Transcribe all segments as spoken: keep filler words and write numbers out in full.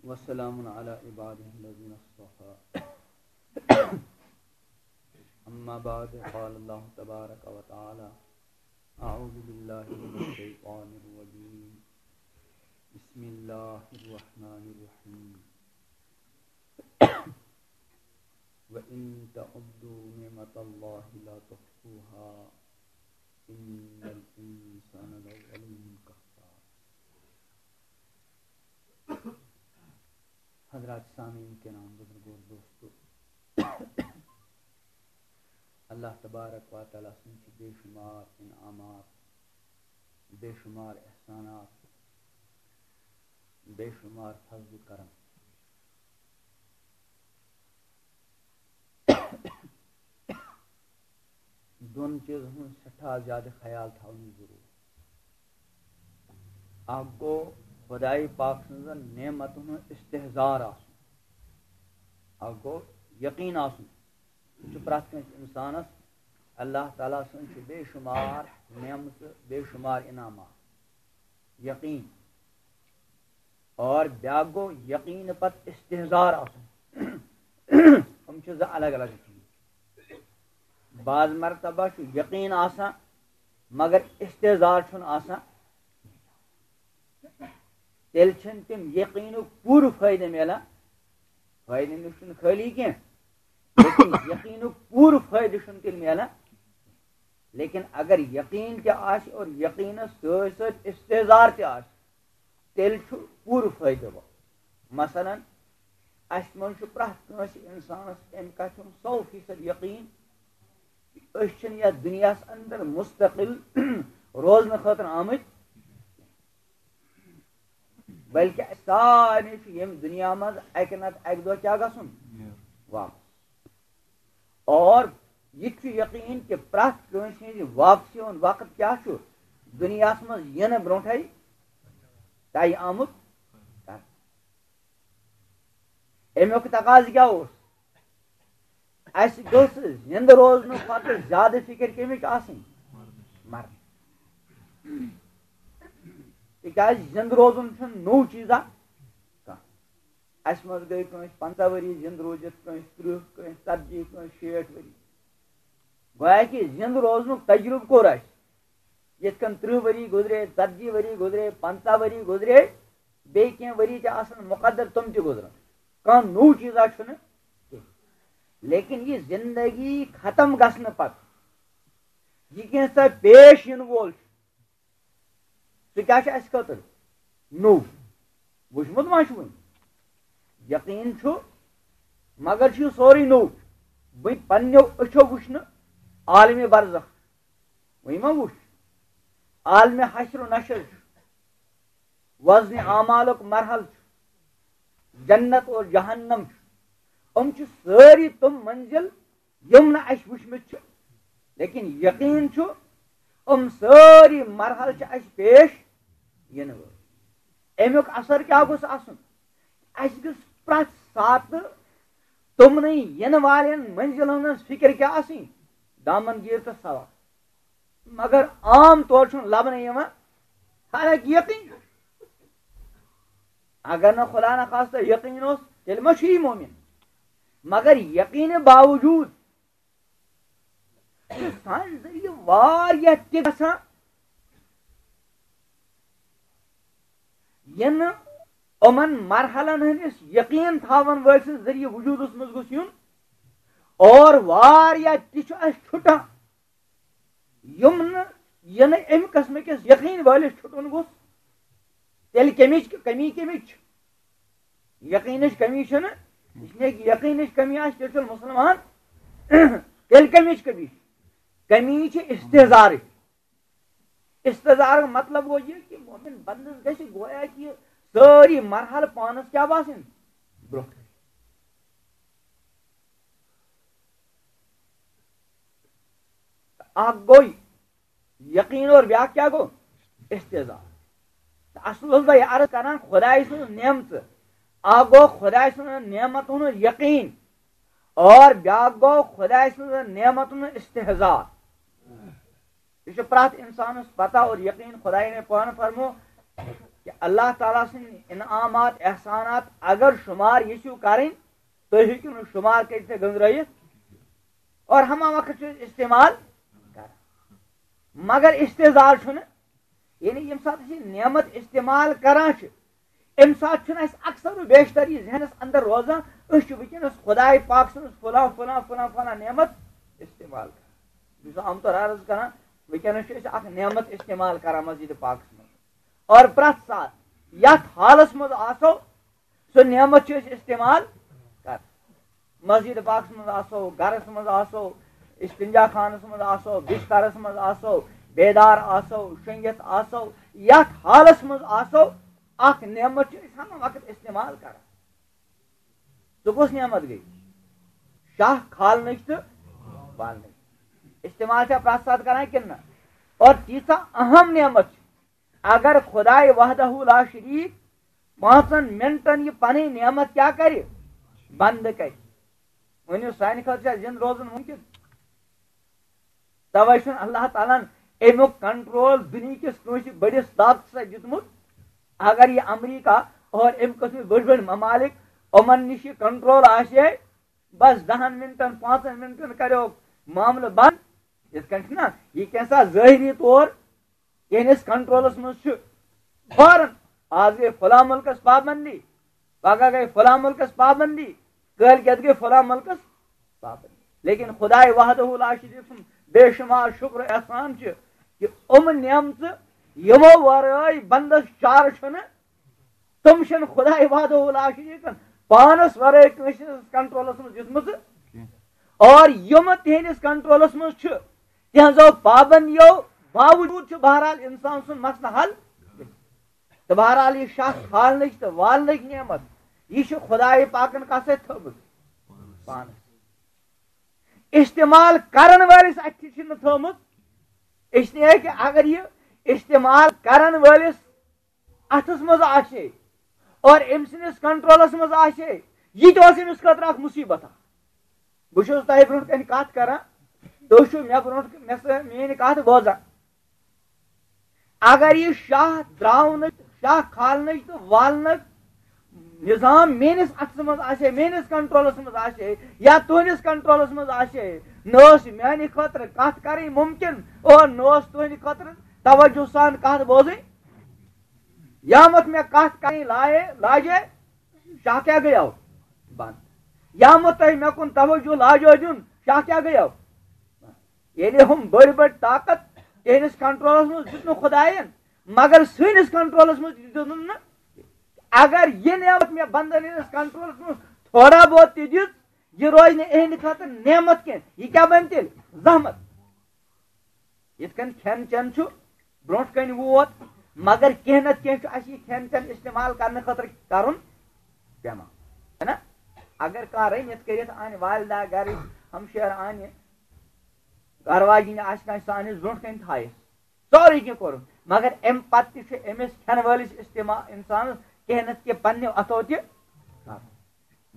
وسلام على عباده الذين اصطفى. أما بعد، قال الله تبارك وتعالى: أعوذ بالله من الشيطان الرجيم. بسم الله الرحمن الرحيم. وإن تعدوا نعمة الله لا تحصوها، إن الإنسان لظلوم كفار. حضرات سامعین کرام، بزرگو، دوستو، اللہ تبارک و تعالیٰ سٕنٛدۍ چھِ بے شمار انعامات، بے شمار احسانات، بے شمار فضل و کرم۔ دۄن چیٖزن ہُنٛد سٮ۪ٹھاہ زیادٕ خیال تھاونٕچ ضروٗرت۔ اکھ گوٚو خۄداے پاک سٕنٛزن نعمتن ہُنٛد استحضار آسُن، اکھ گوٚو یقیٖن آسُن۔ یہِ چھُ پرٛٮ۪تھ کٲنٛسہِ اِنسانس، اللہ تعالیٰ سٕنٛز چھِ بے شمار نعمژٕ، بے شمار انعامات۔ یقیٖن۔ اور بیٛاکھ گوٚو یقیٖن پتہٕ استحضار آسُن۔ یِم چھِ زٕ الگ الگ چیٖز۔ بعض مرتبہ چھُ یقیٖن آسان، مگر استحضار چھُنہٕ آسان۔ تیٚلہِ چھِنہٕ تِم یقیٖنُک پوٗرٕ فٲیدٕ میلان۔ فٲیدٕ نِش چھُنہٕ خٲلی کینٛہہ، لیکن یقیٖنُک پوٗرٕ فٲیدٕ چھُنہٕ تیٚلہِ میلان۔ لیکن اگر یقیٖن تہِ آسہِ اور یقیٖنس سۭتۍ سۭتۍ استحضار تہِ آسہِ، تیٚلہِ چھُ پوٗرٕ فٲیدٕ وول۔ مثلاً، اَسہِ منٛز چھُ پرٛٮ۪تھ کٲنٛسہِ اِنسانَس اَمہِ کَتھِ ہُنٛد سَو فیٖصد یقیٖن کہِ أسۍ چھِنہٕ یَتھ دُنیاہَس اندر مُستقل روزنہٕ خٲطرٕ آمٕتۍ، بلکہِ اَسہِ سارنٕے چھُ ییٚمہِ دُنیا منٛز اَکہِ نَتہٕ اَکہِ دۄہ کیٛاہ گژھُن؟ واپس۔ اور یہِ تہِ چھُ یقیٖن کہِ پرٛٮ۪تھ کٲنٛسہِ ہٕنٛزِ واپسی ہُنٛد وقت کیٛاہ چھُ؟ دُنیاہَس منٛز یِنہٕ برٛونٛٹھَے طے آمُت کرنہٕ۔ اَمیُک تقاضہٕ کیٛاہ اوس؟ اَسہِ گٔژھ زِنٛدٕ روزنہٕ پتہٕ زیادٕ فِکر کَمِچ آسٕنۍ؟ مرنٕچ۔ تِکیٛازِ زِنٛدٕ روزُن چھُنہٕ نوٚو چیٖزا کانٛہہ۔ اَسہِ منٛز گٔے کٲنٛسہِ پنٛژاہ ؤری زِنٛدٕ روٗزِتھ، کٲنٛسہِ تٕرٛہ، کٲنٛسہِ ژتجی، کٲنٛسہِ شیٹھ ؤری۔ گویا کہِ زِنٛدٕ روزنُک تجرُبہٕ کوٚر اَسہِ۔ یِتھ کٔنۍ تٕرٛہ ؤری گُزرے، ژتجی ؤری گُزرے، پنٛژاہ ؤری گُزرے، بیٚیہِ کینٛہہ ؤری تہِ آسَن مُقدر، تِم تہِ گُزرَن۔ کانٛہہ نوٚو چیٖزا چھُنہٕ کینٛہہ۔ لیکن یہِ زِندگی ختم گژھنہٕ پتہٕ یہِ کینٛژھا پیش یِنہٕ وول چھُ، سُہ کیٛاہ چھُ اَسہِ خٲطرٕ؟ نوٚو۔ وٕچھمُت ما چھُ وٕنہِ؟ یقیٖن چھُ، مگر چھُ یہِ سورُے نوٚو۔ وٕنہِ پنٛنیو أچھو وٕچھ نہٕ عالمِ برزخ، وٕنہِ ما وٕچھ؟ عالمِ حشر و نشر چھُ، وزنِ اعمالُک مرحلہٕ چھُ، جنت اور جہنم چھُ۔ یِم چھِ سٲری تِم منزل یِم نہٕ اَسہِ وٕچھمٕتۍ چھِ، لیکن یقیٖن چھُ، یِم سٲری مرحلہٕ چھِ اَسہِ پیش یِنہٕ وٲلۍ۔ اَمیُک اثر کیٛاہ گوٚژھ آسُن؟ اَسہِ گٔژھ پرٛٮ۪تھ ساتہٕ تِمنٕے یِنہٕ والٮ۪ن منزِلن ہٕنٛز فِکر کیٛاہ آسٕنۍ؟ دامن گیٖر تہٕ سوا۔ مگر عام طور چھُنہٕ لبنہٕ یِوان، حالانکہ یقیٖن چھُ۔ اگر نہٕ خدا نخواستہ یقیٖن اوس، تیٚلہِ ما چھُ یہِ مومِن؟ مگر یقیٖنہٕ باوجوٗد چھُ سانہِ ذٔریعہٕ واریاہ تہِ گژھان، یِنہٕ یِمن مرحلن ہٕنٛدِس یقیٖن تھاون وٲلۍ سٕنٛدِ ذٔریعہٕ وجوٗدس منٛز گوٚژھ یُن، اور واریاہ تہِ چھُ اَسہِ چھُٹان، یِم نہٕ، یہِ نہٕ اَمہِ قٕسمہٕ کِس یقیٖن وٲلِس چھُٹُن گوٚژھ۔ تیٚلہِ کَمِچ کمی کَمِچ چھِ؟ یقیٖنٕچ کمی چھَنہٕ، اس لیے کہ یقیٖنٕچ کمی آسہِ، تیٚلہِ چھُنہٕ مُسلمان۔ تیٚلہِ کَمِچ کمی چھِ؟ کمی چھِ استحضارٕچ۔ استحضارُک مطلب گوٚو یہِ کہ مومن بندس گژھِ گویا کہ یہِ سٲری مرحلہٕ پانس کیٛاہ باسٕنۍ؟ برونٛہہ کنہِ۔ اکھ گوٚو یقیٖن اور بیٛاکھ کیٛاہ گوٚو؟ استحضار۔ تہٕ اصل اوسُس بہٕ یہِ عرض کران، خدایہِ سٕنٛز نعمژٕ۔ اکھ گوٚو خدایہِ سٕنٛز نعمتن ہُنٛد یقیٖن، اور بیٛاکھ گوٚو خدایہِ سٕنٛز نعمتن ہُنٛد استحضار۔ یہِ چھُ پرٛٮ۪تھ اِنسانَس پتہ اور یقیٖن، خدایہِ نے پانہٕ فرمو، کہ اللہ تعالیٰ سٕنٛدۍ انعامات، احسانات اگر شمار یژھِو کرٕنۍ، تُہۍ ہیٚکِو نہٕ شمار کٔرِتھ تہٕ گٔنٛزرٲیِتھ۔ اور ہما وقت چھِ أسۍ استعمال کران، مگر استحضار چھُنہٕ۔ یعنی ییٚمہِ ساتہٕ أسۍ یہِ نعمت استعمال کران چھِ، اَمہِ ساتہٕ چھُنہٕ اَسہِ اکثر و بیشتر یہِ ذہنس اندر روزان، أسۍ چھِ وٕنکیٚنس خداے پاک سٕنٛز فلاں فلاں فلاں فلاں نعمت استعمال کران۔ بہٕ چھُس عام طور عرض کران، وٕنکیٚنس چھِ أسۍ اکھ نعمت استعمال کران مسجد پاکس منٛز، اور پرٛٮ۪تھ ساتہٕ یتھ حالس منٛز آسو، سۄ نعمت چھِ أسۍ استعمال کران۔ مسجد پاکس منٛز آسو، گرس منٛز آسو، استنجا خانس منٛز آسو، بسترس منٛز آسو، بیدار آسو، شۄنگِتھ آسو، یتھ حالس منٛز آسو، اکھ نعمت چھِ أسۍ ہمہ وقت استعمال کران۔ سُہ کُس نعمت گٔے؟ شاہ کھالنٕچ تہٕ والنٕچ۔ استعمال چھا پرٛٮ۪تھ ساتہٕ کران کِنہٕ نہ؟ اور تیٖژاہ اہم نعمت چھِ، اگر خداے وحدہ لا شریک پانٛژن منٹن یہِ پنٕنۍ نعمت کیٛاہ کرِ؟ بنٛد کرِ۔ ؤنِو، سانہِ خٲطرٕ چھا زِندٕ روزُن مُمکِن؟ توے چھُنہٕ اللہ تعالیٰ ہن اَمیُک کنٹرول دُنیہکِس کٲنٛسہِ بٔڑِس طاقتس سۭتۍ دیُتمُت۔ اگر یہِ امریکہ اور اَمہِ قٕسمٕکۍ بٔڑۍ بٔڑۍ ممالک، یِمن نِش یہِ کنٹرول آسہِ ہے، بس دہن منٹن، پانٛژن منٹن کریو معاملہٕ بنٛد۔ یِتھ کٔنۍ چھُنہ یہِ کینٛژھا ظٲہری طور یِہنٛدِس کنٹرولس منٛز چھُ۔ فوراً آز گٔے فلاں مُلکس پابندی، پگاہ گٔے فلاں مُلکس پابندی، کٲلۍ کٮ۪تھ گٔے فلاں مُلکس پابندی۔ لیکن خداے وحدہ لا شریک سُنٛد بے شمار شکر احسان چھُ کہ یِم نعمژٕ یِمو ورٲے بندس چارٕ چھُنہٕ، تِم چھِنہٕ خداے وحدہ لا شریکن پانس ورٲے کٲنٛسہِ ہٕنٛدِس کنٹرولس منٛز دِژمٕژٕ۔ اور یِم تِہنٛدِس کنٹرولس منٛز چھِ، تِہنٛزو پابندیو باوجود چھُ بہرحال انسان سُنٛد مسلہٕ حل۔ تہٕ بہرحال یہِ شاہ کھالنٕچ تہٕ والنٕچ نعمت، یہِ چھُ خداے پاکن کتھ سۭتۍ تھٲومٕژ؟ پانس۔ استعمال کرن وٲلِس اتھِ چھِ نہٕ تھٲومٕژ، اس لیے کہ اگر یہِ استعمال کرن وٲلِس اتھس منٛز آسہِ ہے اور أمۍ سٕنٛدِس کنٹرولس منٛز آسہِ ہے، یہِ تہِ اوس أمِس خٲطرٕ اکھ مُصیبت اکھ۔ بہٕ چھُس تۄہہِ برونٛٹھ کنہِ کتھ کران، تُہۍ چھِو مےٚ برونٛٹھ، مےٚ سۭتۍ میٲنۍ کتھ بوزان۔ اگر یہِ شاہ تراونٕچ، شاہ کھالنٕچ تہٕ والنٕچ نظام میٲنِس اتھس منٛز آسہِ ہے، میٲنِس کنٹرولس منٛز آسہِ ہے یا تُہنٛدِس کنٹرولس منٛز آسہِ ہے، نہ ٲس میانہِ خٲطرٕ کتھ کرٕنۍ ممکن اور نہ اوس تُہنٛدِ خٲطرٕ توجہ سان کتھ بوزٕنۍ۔ یامتھ مےٚ کتھ کرٕنۍ لایے، لاجے، شاہ کیٛاہ گٔیو؟ بنٛد۔ یامتھ تۄہہِ مےٚ کُن توجہ لاجو دیُن، شاہ کیٛاہ گٔیو؟ ییٚلہِ ہُم بٔڑۍ بٔڑۍ طاقت تِہنٛدِس کنٹرولس منٛز دیُت نہٕ خدایَن، مگر سٲنِس کنٹرولس منٛز دیُت نہٕ۔ اگر یہِ نعمت مےٚ بندن ہٕنٛدِس کنٹرولس منٛز تھوڑا بہت تہِ دیُت، یہِ روزِ نہٕ اِہنٛدِ خٲطرٕ نعمت کینٛہہ، یہِ کیٛاہ بنہِ تیٚلہِ؟ زحمت۔ یِتھ کٔنۍ کھٮ۪ن چٮ۪ن چھُ برونٛٹھ کَنہِ ووت، مگر کینٛہہ نَتہٕ کینٛہہ چھُ اَسہِ یہِ کھٮ۪ن چٮ۪ن استعمال کرنہٕ خٲطرٕ کرُن پٮ۪وان، ہے نا؟ اگر کانٛہہ رٔنِتھ کٔرِتھ اَنہِ، والدہ گرٕچ ہمشیر اَنہِ، گرٕ واجِنۍ آسہِ کانٛہہ، سُہ اَنہِ برونٛٹھ کَنہِ تھایہِ، سورُے کینٛہہ کوٚرُن، مگر اَمہِ پتہٕ تہِ چھُ أمِس کھٮ۪ن وٲلِس استعمال، اِنسانَس کینٛہہ نَتہٕ کینٛہہ پننیو اَتھو تہِ کرُن۔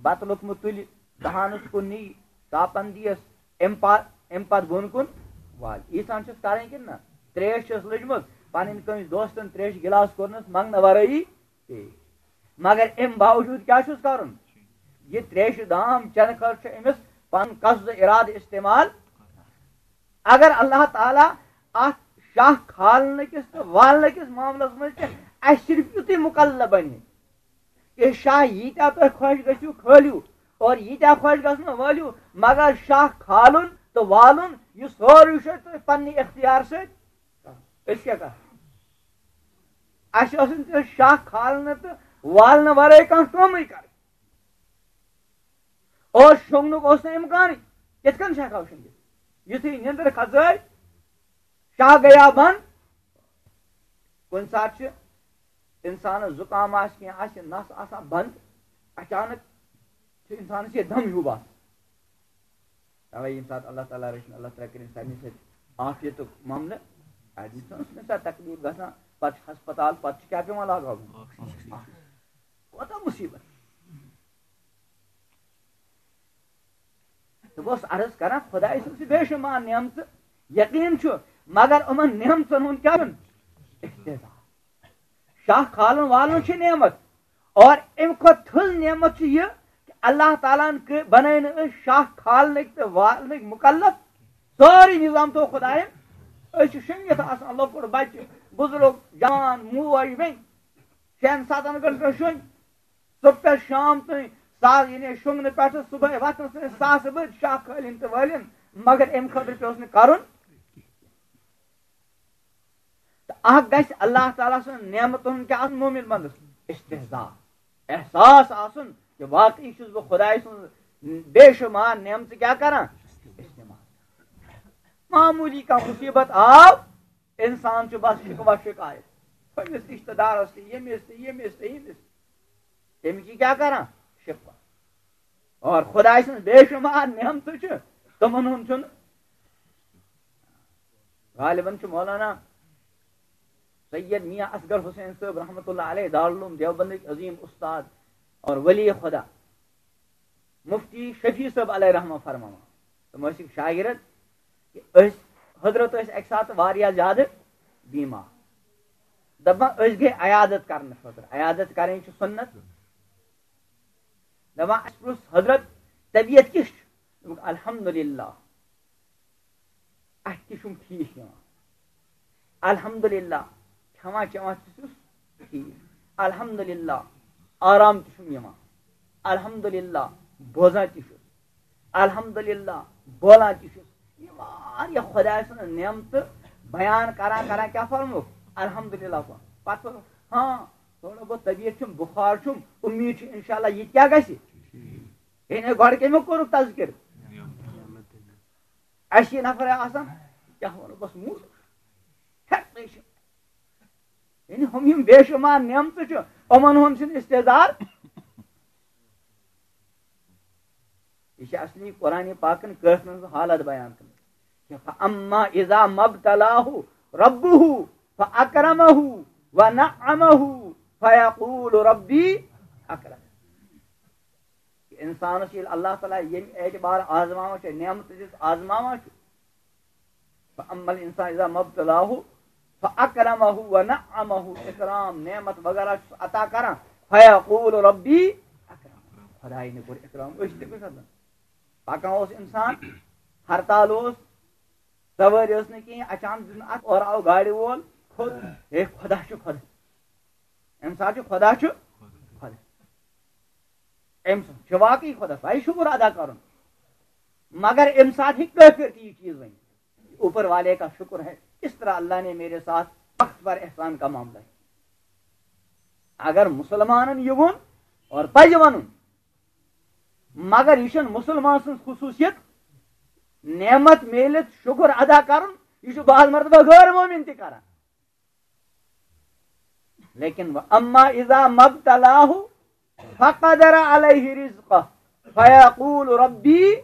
بتہٕ لوٚقمہٕ تُلہِ، دہانس کُن نی، ژاپن دِیس، امہِ پتہٕ، امہِ پتہٕ بۄن کُن والہِ۔ ییٖژہن چھُس کرٕنۍ کِنہٕ نہ؟ تریش چھس لٔجمٕژ، پنٕنۍ کٲنٛسہِ دوستن تریشہِ گِلاس کوٚرنس منٛگنہٕ ورٲیی چے۔ مگر امہِ باوجود کیٛاہ چھُس کرُن؟ یہِ تریشہِ دام چٮ۪نہٕ خٲطرٕ چھُ أمِس پنُن قصد ارادٕ استعمال۔ اگر اللہ تعالیٰ اتھ شاہ کھالنہٕ کِس تہٕ والنہٕ کِس معاملس منٛز تہِ اسہِ صرف یُتُے مُکلف بنہِ، یہِ شاہ ییٖتیٛاہ تۄہہِ خۄش گٔژھِو کھٲلِو اور ییٖتیٛاہ خۄش گژھنہٕ وٲلِو، مگر شاہ کھالُن تہٕ والُن، یہِ سورُے چھُ تۄہہِ پننہِ اختیار سۭتۍ۔ أسۍ کیٛاہ کرو؟ اَسہِ ٲس نہٕ تیٚلہِ شاہ کھالنہٕ تہٕ والنہٕ ورٲے کانٛہہ کٲمٕے کرٕنۍ۔ اور شۄنٛگنُک اوس نہٕ اِمکانٕے۔ کِتھ کٔنۍ چھِ ہٮ۪کان شۄنٛگِتھ؟ یُتھُے نِندٕر کھژٲے، شاہ گٔیا بنٛد۔ کُنہِ ساتہٕ چھِ اِنسانَس زُکام آسہِ، کینٛہہ آسہِ، نَس آسان بنٛد، اچانک چھُ اِنسانَس یہِ دَم ہیوٗ باسان۔ تَوَے ییٚمہِ ساتہٕ اللہ تعالیٰ رٔچھِنۍ، اللہ تعالیٰ کٔرِنۍ سارنٕے سۭتۍ عافیتُک معاملہٕ۔ اَتہِ چھُ ییٚمہِ ساتہٕ تکلیٖف گژھان، پَتہٕ چھُ ہسپتال، پَتہٕ چھُ کیٛاہ پٮ۪وان لاگاوُن؟ کوٗتاہ مُصیٖبت۔ تہٕ بہٕ اوسُس عرض کران، خداے سٕنٛز چھِ بے شُمار نعمژٕ، یقیٖن چھُ، مگر یِمن نعمژن ہُنٛد کیٛاہ چھُنہٕ؟ احتِرام۔ شاہ کھالُن والُن چھِ نعمت، اور اَمہِ کھۄتہٕ تھٔز نعمت چھِ یہِ کہِ اللہ تعالیٰ ہَن کٔر، بَنٲے نہٕ أسۍ شاہ کھالنٕکۍ تہٕ والنٕکۍ مُکلف۔ سورُے نظام تھوٚو خۄدایَن۔ أسۍ چھِ شۄنٛگِتھ آسان، لۄکُٹ بَچہِ، بُزرٕگ، جوان، موج، بیٚنہِ، شٮ۪ن سَتَن گھنٹَن شۄنٛگۍ۔ صُبح پٮ۪ٹھ شام تام ساز، یعنی شۄنٛگنہٕ پٮ۪ٹھٕ صُبحٲے وۄتھنَس تام ساسہٕ بٔدۍ شاہ کھٲلِن تہٕ وٲلِن، مگر اَمہِ خٲطرٕ پیوٚس نہٕ کَرُن۔ تہٕ اکھ گژھِ اللہ تعالیٰ سٕنٛز نعمتن ہُنٛد کیٛاہ آسُن؟ مومن بندس استحضار، احساس آسُن کہِ واقعی چھُس بہٕ خۄداے سٕنٛز بے شُمار نعمژٕ کیٛاہ کران؟ استعمال۔ معموٗلی کانٛہہ مُصیٖبت آو، اِنسان چھُ بس شِکوہ شِکایت، ہُمِس رِشتہٕ دارس تہِ، ییٚمِس تہِ، ییٚمِس تہِ، ییٚمِس تہِ۔ تٔمِس چھِ کیٛاہ کران؟ شِکوہ۔ اور خۄداے سٕنٛز بے شُمار نعمتہٕ چھِ، تِمن ہُنٛد چھُنہٕ۔ غالباً چھُ مولانا سید میاں اصغر حسین صٲب رحمتہ اللہ علیہ، دارالعلوم دیوبندٕکۍ عظیٖم استاد اور ولی خدا مفتی شفیع صٲب علیہ رحمہ فرماوان۔ تِم ٲسِکھ شاگرد کہِ أسۍ، حضرت ٲسۍ اَکہِ ساتہٕ واریاہ زیادٕ بیمار۔ دَپان، أسۍ گٔے عیادت کرنہٕ خٲطرٕ۔ عیادت کرٕنۍ چھِ سُنت۔ دَپان، اَسہِ پرُژھ، حضرت، طبیعت کِژھ چھِ؟ دوٚپُکھ، الحمدللہ، اَتھِ تہِ چھُم ٹھیٖک یِوان۔ الحمدللہ، کھٮ۪وان چٮ۪وان تہِ چھُس ٹھیٖک۔ الحمدللہ، آرام تہِ چھُم یِوان۔ الحمدللہ، بوزان تہِ چھُس۔ الحمدللہ، بولان تہِ چھُس۔ یہِ واریاہ خۄداے سٕنٛز نعمتہٕ بیان کران کران کیٛاہ فرمووُکھ؟ الحمدللہ فرمووُکھ۔ پتہٕ فرمووُکھ، ہاں، تھوڑا بہت طبیعت چھُم، بُخار چھُم، اُمید چھِ انشاءاللہ یہِ تہِ کیٛاہ گژھِ؟ یعنی گۄڈٕ کٔمۍ کوٚرُکھ تذکر؟ اَسہِ یہِ نفر آسان، کیٛاہ وَنو، بس موٗد ہٮ۪کنے چھُ۔ یعنی ہُم یِم بے شُمار نعمتہٕ چھِ، یِمن ہُنٛد چھُنہٕ استحضار۔ یہِ چھِ اصلی قرآن پاکن کٲفرن ہٕنٛز حالت بیان کٔرمٕژ۔ فَأَمَّا إِذَا مَا ابْتَلَاهُ رَبُّهُ فَأَكْرَمَهُ وَنَعَّمَهُ فَيَقُولُ رَبِّي أَكْرَمَنِ۔ کہ انسانس ییٚلہِ اللہ تعالیٰ ییٚمہِ اعتبار آزماوان چھُ، نعمت دِتھ آزماوان چھُ، فَأَمَّا الْإِنسَانُ إِذَا مَا ابْتَلَاهُ فَأَكْرَمَهُ وَنَعَّمَهُ، اکرام نعمت وغیرہ چھُس عطا کران، فَيَقُولُ رَبِّي أَكْرَمَنِ، خدایہِ نے کوٚر اکرام، أسۍ تہِ گٔژھۍ آسان۔ پکان اوس انسان، ہرتال اوس، سوٲرۍ ٲس نہٕ کِہیٖنۍ، اچانک دیُت نہٕ اتھ، اورٕ آو گاڑِ وول، کھوٚت، ہے خدا چھُ خدا، امہِ ساتہٕ چھُ خدا چھُ خدا۔ أمۍ سُنٛد چھُ واقعی خۄدا سُنٛد شُکُر ادا کرُن۔ مگر اَمہِ ساتہٕ ہیٚکہِ کٲفِر تہِ یہِ چیٖز ؤنِتھ، اوپر والے کا شکر ہے، اس طرح اللہ نے میرے ساتھ وقت پر احسان کا معاملہ ہے۔ اگر مُسلمانن یہِ ووٚن اور پزِ وَنُن، مگر یہِ چھُنہٕ مُسلمان سٕنٛز خصوٗصیت نعمت میلِتھ شُکُر ادا کرُن، یہِ چھُ بعض مرتبہ غٲر مومِن تہِ کران۔ لیکن وَأَمَّا إِذَا مَا ابْتَلَاهُ فَقَدَرَ عَلَيْهِ رِزْقَهُ فَيَقُولُ رَبِّي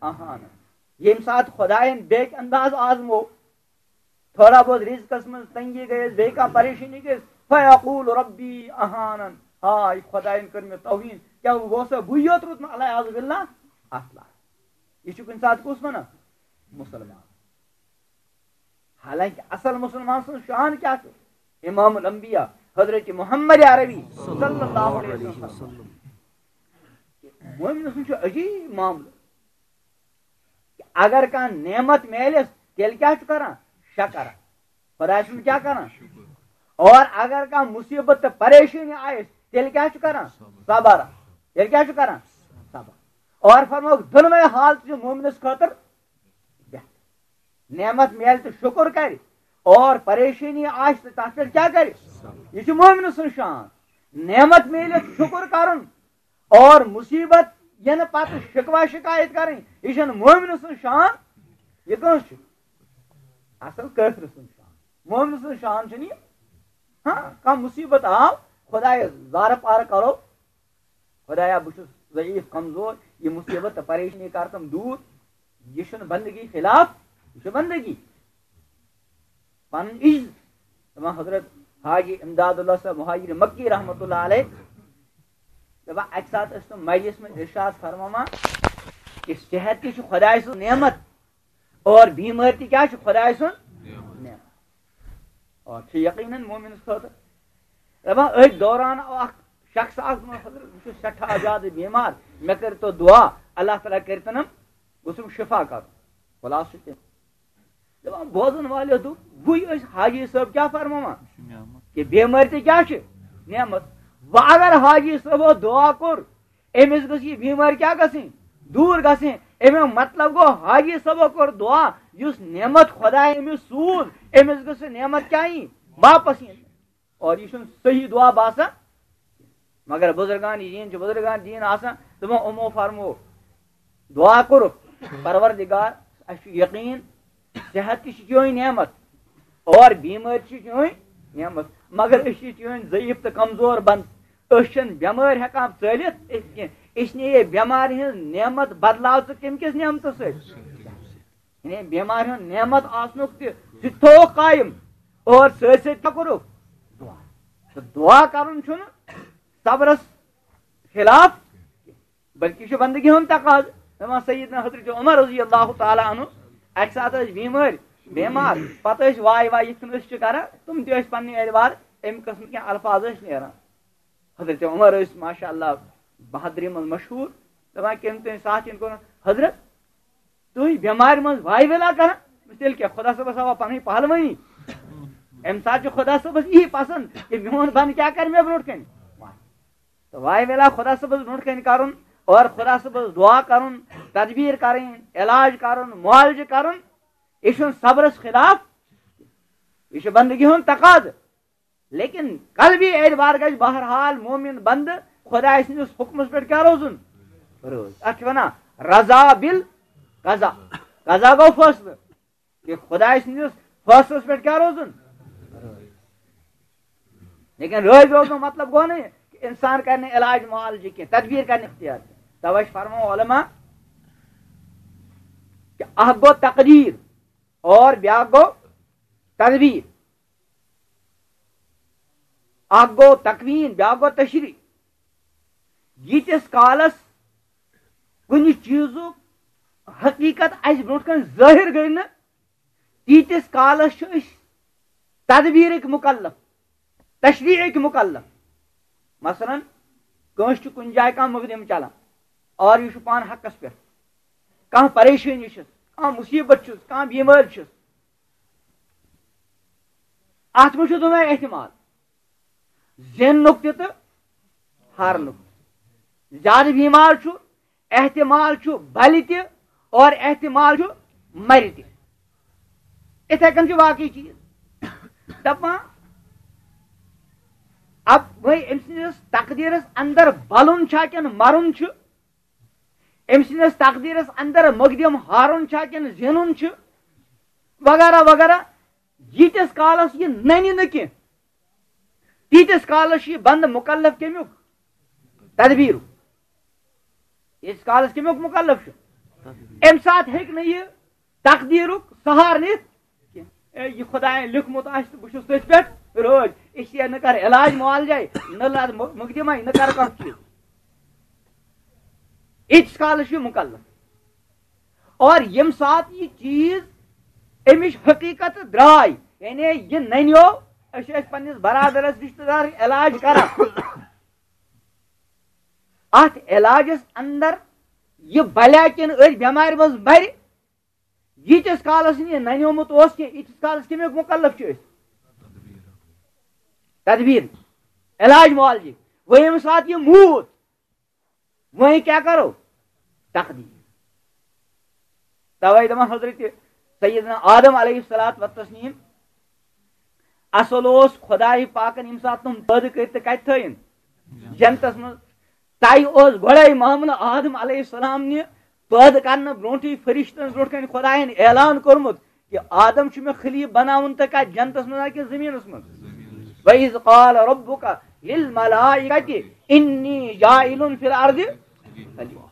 أَهَانَنِ۔ ییٚمہِ ساتہٕ خۄدایَن بیٚکہِ انداز آزمو، تھوڑا بہت رِزقَس منٛز تنگی گٔیَس، بیٚیہِ کانٛہہ پریشٲنی گٔیَس، فَيَقُولُ رَبِّي أَهَانَنِ۔ ہاے، خۄدایَن کٔر مےٚ توہیٖن، کیٛاہ بہٕ اوسا بٕے یوت روٗدمُت، العیاذ باللہ، اَتھ لایق۔ یہِ چھُ کُنہِ ساتہٕ کُس وَنان؟ مُسلمان۔ حالانکہ اصل مسلمان سٕنٛز شان کیٛاہ چھُ؟ امام الانبیاء حضرت محمد عربی صلی اللہ علیہ وسلم۔ مومن سُنٛد چھُ عجیٖب معاملہٕ۔ اگر کانٛہہ نعمت میلٮ۪س، تیٚلہِ کیٛاہ چھُ کران؟ شکر۔ خۄداے سُنٛد کیٛاہ کران؟ اور اگر کانٛہہ مُصیبت تہٕ پریشٲنی آیَس، تیٚلہِ کیٛاہ چھُ کران؟ صبر۔ تیٚلہِ کیٛاہ چھُ کران؟ صبر۔ اور فرمووُکھ، دۄنوَے حالتہٕ چھِ مومنَس خٲطرٕ بہتر۔ نعمت میلہِ تہٕ شُکُر کرِ، اور پریشٲنی آسہِ تہٕ تَتھ پٮ۪ٹھ کیٛاہ کرِ؟ یہِ چھُ مومنہٕ سٕنٛز شان۔ نعمت میلہِ تہٕ شُکُر کرُن، اور مُصیبت یِنہٕ پتہٕ شِکوہ شِکایت کرٕنۍ، یہِ چھَنہٕ مومنہٕ سٕنٛز شان۔ یہِ کٲنٛسہِ چھُ؟ اصل کٲفرٕ سٕنٛز شان۔ مومنہٕ سٕنٛز شان چھَنہٕ یہِ۔ ہاں، کانٛہہ مُصیبت آو، خۄدایَس زارٕ پارٕ کرو، خۄدایا، بہٕ چھُس ضعیٖف، کمزور، یہِ مُصیبت تہٕ پریشٲنی کر تم دوٗر۔ یہِ چھُنہٕ بندگی خلاف، یہِ چھُ بندگی۔ پنُن عجز۔ دپان حضرت حاجی امداد اللہ صٲب مہاجر مکی رحمتہ اللہ علیہ، دپان اکہِ ساتہٕ ٲسۍ تِم مجلس منٛز ارشاد فرماوان کہ صحت تہِ چھُ خۄداے سٕنٛز نعمت، اور بیمٲرۍ تہِ کیٛاہ چھُ؟ خۄداے سُنٛد نعمت۔ اور چھُ یقیناً مومنس خٲطرٕ۔ دَپان، أتھۍ دوران آو اکھ شخص اکھ، دوٚپُن، "حضرت، بہٕ چھُس سٮ۪ٹھاہ زیادٕ بیمار، مےٚ کٔرۍتو دُعا، اللہ تعالیٰ کٔرۍتَنم گوٚژھُم شفا کرُن۔" خلاصہٕ چھُ تٔمۍ۔ دَپان، بوزن والٮ۪و دوٚپ، وٕے ٲسۍ حاجی صٲب کیٛاہ فرماوان؟ یہِ چھُ نعمت۔ کہِ بیمٲرۍ تہِ کیٛاہ چھِ؟ نعمت۔ وۄنۍ اگر حاجی صٲبو دُعا کوٚر، أمِس گٔژھ یہِ بیمٲرۍ کیٛاہ گژھٕنۍ؟ دوٗر گژھٕنۍ۔ اَمیُک مطلب گوٚو، حاجی صٲبو کوٚر دُعا، یُس نعمت خۄداے أمِس سوٗز، أمِس گٔژھ سۄ نعمت کیٛاہ یِنۍ؟ واپس یِنۍ۔ اور یہِ چھُنہٕ صحیح دُعا باسان۔ مگر بزرگان دین چھِ بزرگان دین آسان، تِمو یِمو فرمو، دُعا کوٚرُکھ، پروردگار، اَسہِ چھُ یقیٖن، صحت تہِ چھِ چٲنۍ نعمت اور بیمٲرۍ چھِ چٲنۍ نعمت، مگر أسۍ چھِ چٲنۍ ضعیف تہٕ کمزور بنٛد۔ أسۍ چھِنہٕ بٮ۪مٲرۍ ہٮ۪کان ژٲلِتھ کینٛہہ، اس لیے بٮ۪مارِ ہٕنٛز نعمت بدلاو ژٕ کَمہِ کِس نعمتس سۭتۍ؟ یعنی بٮ۪مارِ ہُنٛد نعمت آسنُک تہِ، سُہ تہِ تھووُکھ قٲیِم۔ اور سۭتۍ سۭتۍ کیٛاہ کوٚرُکھ؟ دُعا۔ تہٕ دُعا کَرُن چھُنہٕ صبرس خلاف، بلکہِ یہِ چھُ بندگی ہُنٛد تقاضہٕ۔ دَپان سیدنا حضرت عمر رضی اللہ تعالیٰ عنہ، اَکہِ ساتہٕ ٲسۍ بیمٲرۍ، بیمار، پتہٕ ٲسۍ واے واے یِتھ کٔنۍ أسۍ چھِ کران، تِم تہِ ٲسۍ پننہِ اعتبار اَمہِ قٕسمہٕ کینٛہہ الفاظ ٲسۍ نیران۔ حضرت عمر ٲسۍ ماشاء اللہ بہادری منٛز مشہوٗر، دَپان کٔمۍ تٔمۍ ساتھ چھِ أمۍ کوٚرمُت، "حضرت، تُہۍ بٮ۪مارِ منٛز واے ویلا کران؟" تیٚلہِ کیٛاہ، خۄدا صٲبَس آوا پنٕنۍ پہلوٲنی؟ اَمہِ ساتہٕ چھُ خۄدا صٲبَس یی پسنٛد کہِ میون بنٛدٕ کیٛاہ کرِ مےٚ برونٛٹھ کَنہِ؟ تہٕ واے ویلا خۄدا صٲبَس برونٛٹھ کَنہِ کرُن اور خۄدا صٲبَس دُعا کرُن، تدبیٖر کرٕنۍ، علاج کرُن، معالجہٕ کرُن، یہِ چھُنہٕ صبرَس خلاف، یہِ چھُ بندگی ہُنٛد تقاضہٕ۔ لیکن قلبی اعتبار گژھِ بہرحال مومن بندٕ خۄداے سٕنٛدِس حُکمس پٮ۪ٹھ کیٛاہ روزُن؟ روز۔ اتھ چھِ ونان رضا بال قضا۔ قضا گوٚو فٲصلہٕ۔ کہِ خۄداے سٕنٛدِس فٲصلس پٮ۪ٹھ کیٛاہ روزُن؟ لیکن رٲضۍ روزُن مطلب گوٚو نہٕ یہِ کہِ انسان کرِ نہٕ علاج معالجہٕ کینٛہہ، تدبیٖر کرِ نہٕ اختیار کینٛہہ۔ توے چھِ فرماوان علماء کہِ اکھ گوٚو تقدیٖر اور بیٛاکھ گوٚو تدبیٖر۔ اکھ گوٚو تکوین، بیٛاکھ گوٚو تشریح۔ ییٖتِس کالس کُنہِ چیٖزُک حقیٖقت اَسہِ برٛونٛٹھ کَنہِ ظٲہِر گٔے نہٕ، تیٖتِس کالس چھِ أسۍ تدبیٖرٕکۍ مُکلف، تشریحٕکۍ مُکلف۔ مثلاً، کٲنٛسہِ چھُ کُنہِ جایہِ کانٛہہ مُقدِم چلان اور یہِ چھُ پانہٕ حقس پٮ۪ٹھ، کانٛہہ پریشٲنی چھِس، کانٛہہ مُصیٖبت چھُس، کانٛہہ بیمٲرۍ چھِس، اتھ منٛز چھُ دۄنوے احتمال، زیننُک تہِ تہٕ ہارنُک تہِ۔ زیادٕ بیمار چھُ، احتمال چھُ بلہِ تہِ اور احتمال چھُ مرِ تہِ۔ اِتھے کٔنۍ چھُ باقٕے چیٖز۔ دپان، اب وۄنۍ أمۍ سٕنٛدِس تقدیٖرس اندر بلُن چھا کِنہٕ مرُن چھُ؟ أمۍ سٕنٛدِس تقدیٖرس اندر مقدم ہارُن چھا کِنہٕ زینُن چھُ؟ وغیرہ وغیرہ۔ ییٖتِس کالس یہِ ننہِ نہٕ کینٛہہ، تیٖتِس کالس چھُ یہِ بندٕ مُکلف کمیُک؟ تدبیٖرُک۔ ییٖتِس کالس کمیُک مُکلف چھُ؟ امہِ ساتہٕ ہیٚکہِ نہٕ یہِ تقدیٖرُک سہارٕ نِتھ کینٛہہ۔ اے، یہِ خۄدایَن لیوٚکھمُت آسہِ تہٕ بہٕ چھُس تٔتھۍ پٮ۪ٹھ رٲضۍ۔ اس لیے نہ کر علاج معالجے، نہ لد م-، مقدمے، نہ کر کانٛہہ چیٖز۔ ییٖتِس کالس چھُ یہِ مُکلف۔ اور ییٚمہِ ساتہٕ یہِ چیٖز اَمِچ حقیٖقت درٛاے، یعنی یہِ نَنیو، أسۍ چھِ أسۍ پننِس برادرس، رشتہٕ دارس علاج کران۔ اتھ علاجس اندر یہِ بلیا کِنہٕ أتھۍ بٮ۪مارِ منٛز مرِ، ییٖتِس کالس نہٕ یہِ ننیومُت اوس کینٛہہ، ییٖتِس کالس کمیُک مُکلف چھِ أسۍ؟ تدبیٖر، علاج معالجہِ۔ وۄنۍ ییٚمہِ ساتہٕ یہِ موٗد، وۄنۍ کیٛاہ کرو؟ تقدیٖر۔ توے دپان حضرت سیدنا آدم علیہ الصلوۃ والتسلیم، اصل اوس خدایہِ پاکن ییٚمہِ ساتہٕ تِم پٲدٕ کٔرۍ تہٕ کتہِ تھٲیِن؟ جنتس منٛز۔ تۄہہِ اوس گۄڈے معاملہٕ آدم علیہ السلام نہِ پٲدٕ کرنہٕ برونٹھٕے فرشتن برونٹھ کنہِ خداین اعلان کوٚرمُت کہِ آدم چھُ مےٚ خلیٖف بناوُن تہٕ کتھ جنتس منٛز ہا کِنہٕ زٔمیٖنس منٛز؟ وَإِذْ قَالَ رَبُّكَ لِلْمَلَائِكَةِ إِنِّي جَاعِلٌ فِي الْأَرْضِ خَلِيفَةً۔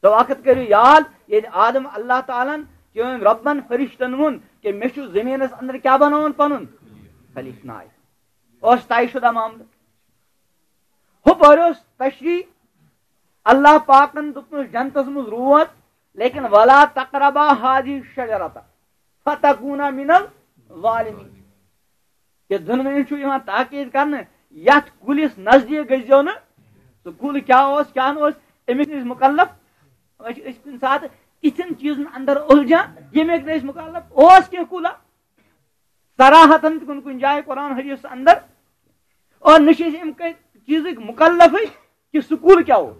تو وقت کٔرِو یاد، ییٚلہِ آدم اللہ تعالیٰ ہن چٲنۍ رۄبن فرشتن ووٚن کہِ مےٚ چھُ زٔمیٖنس اندر کیٛاہ بناوُن؟ پنُن خلیٖفہٕ نایہِ۔ اوس طے شُدہ معاملہٕ۔ ہُپٲرۍ اوس تشریح، اللہ پاکن دوٚپنَس جنتس منٛز روز، لیکن ولا تقربا هذه الشجرة فتكونا من الظالمين۔ کہ دۄنوٕنی چھُ یِوان تاکید کرنہٕ یتھ کُلِس نزدیٖک گٔژھۍزیو نہٕ۔ سُہ کُل کیٛاہ اوس، کیٛاہ نہٕ اوس، أمِس نہٕ أسۍ مُکلف۔ أسۍ چھِ، أسۍ چھِ کُنہِ ساتہٕ تِتھٮ۪ن چیٖزن اندر اُلجھان، ییٚمِکۍ نہٕ أسۍ مُکلف۔ اوس کینٛہہ کُلا صراحتن تہِ کُنہِ کُنہِ جایہِ قرآن حدیث اندر، اور نہ چھِ أسۍ امہِ کہِ چیٖزٕکۍ مُکلفٕے کہِ سُہ کُل کیٛاہ اوس۔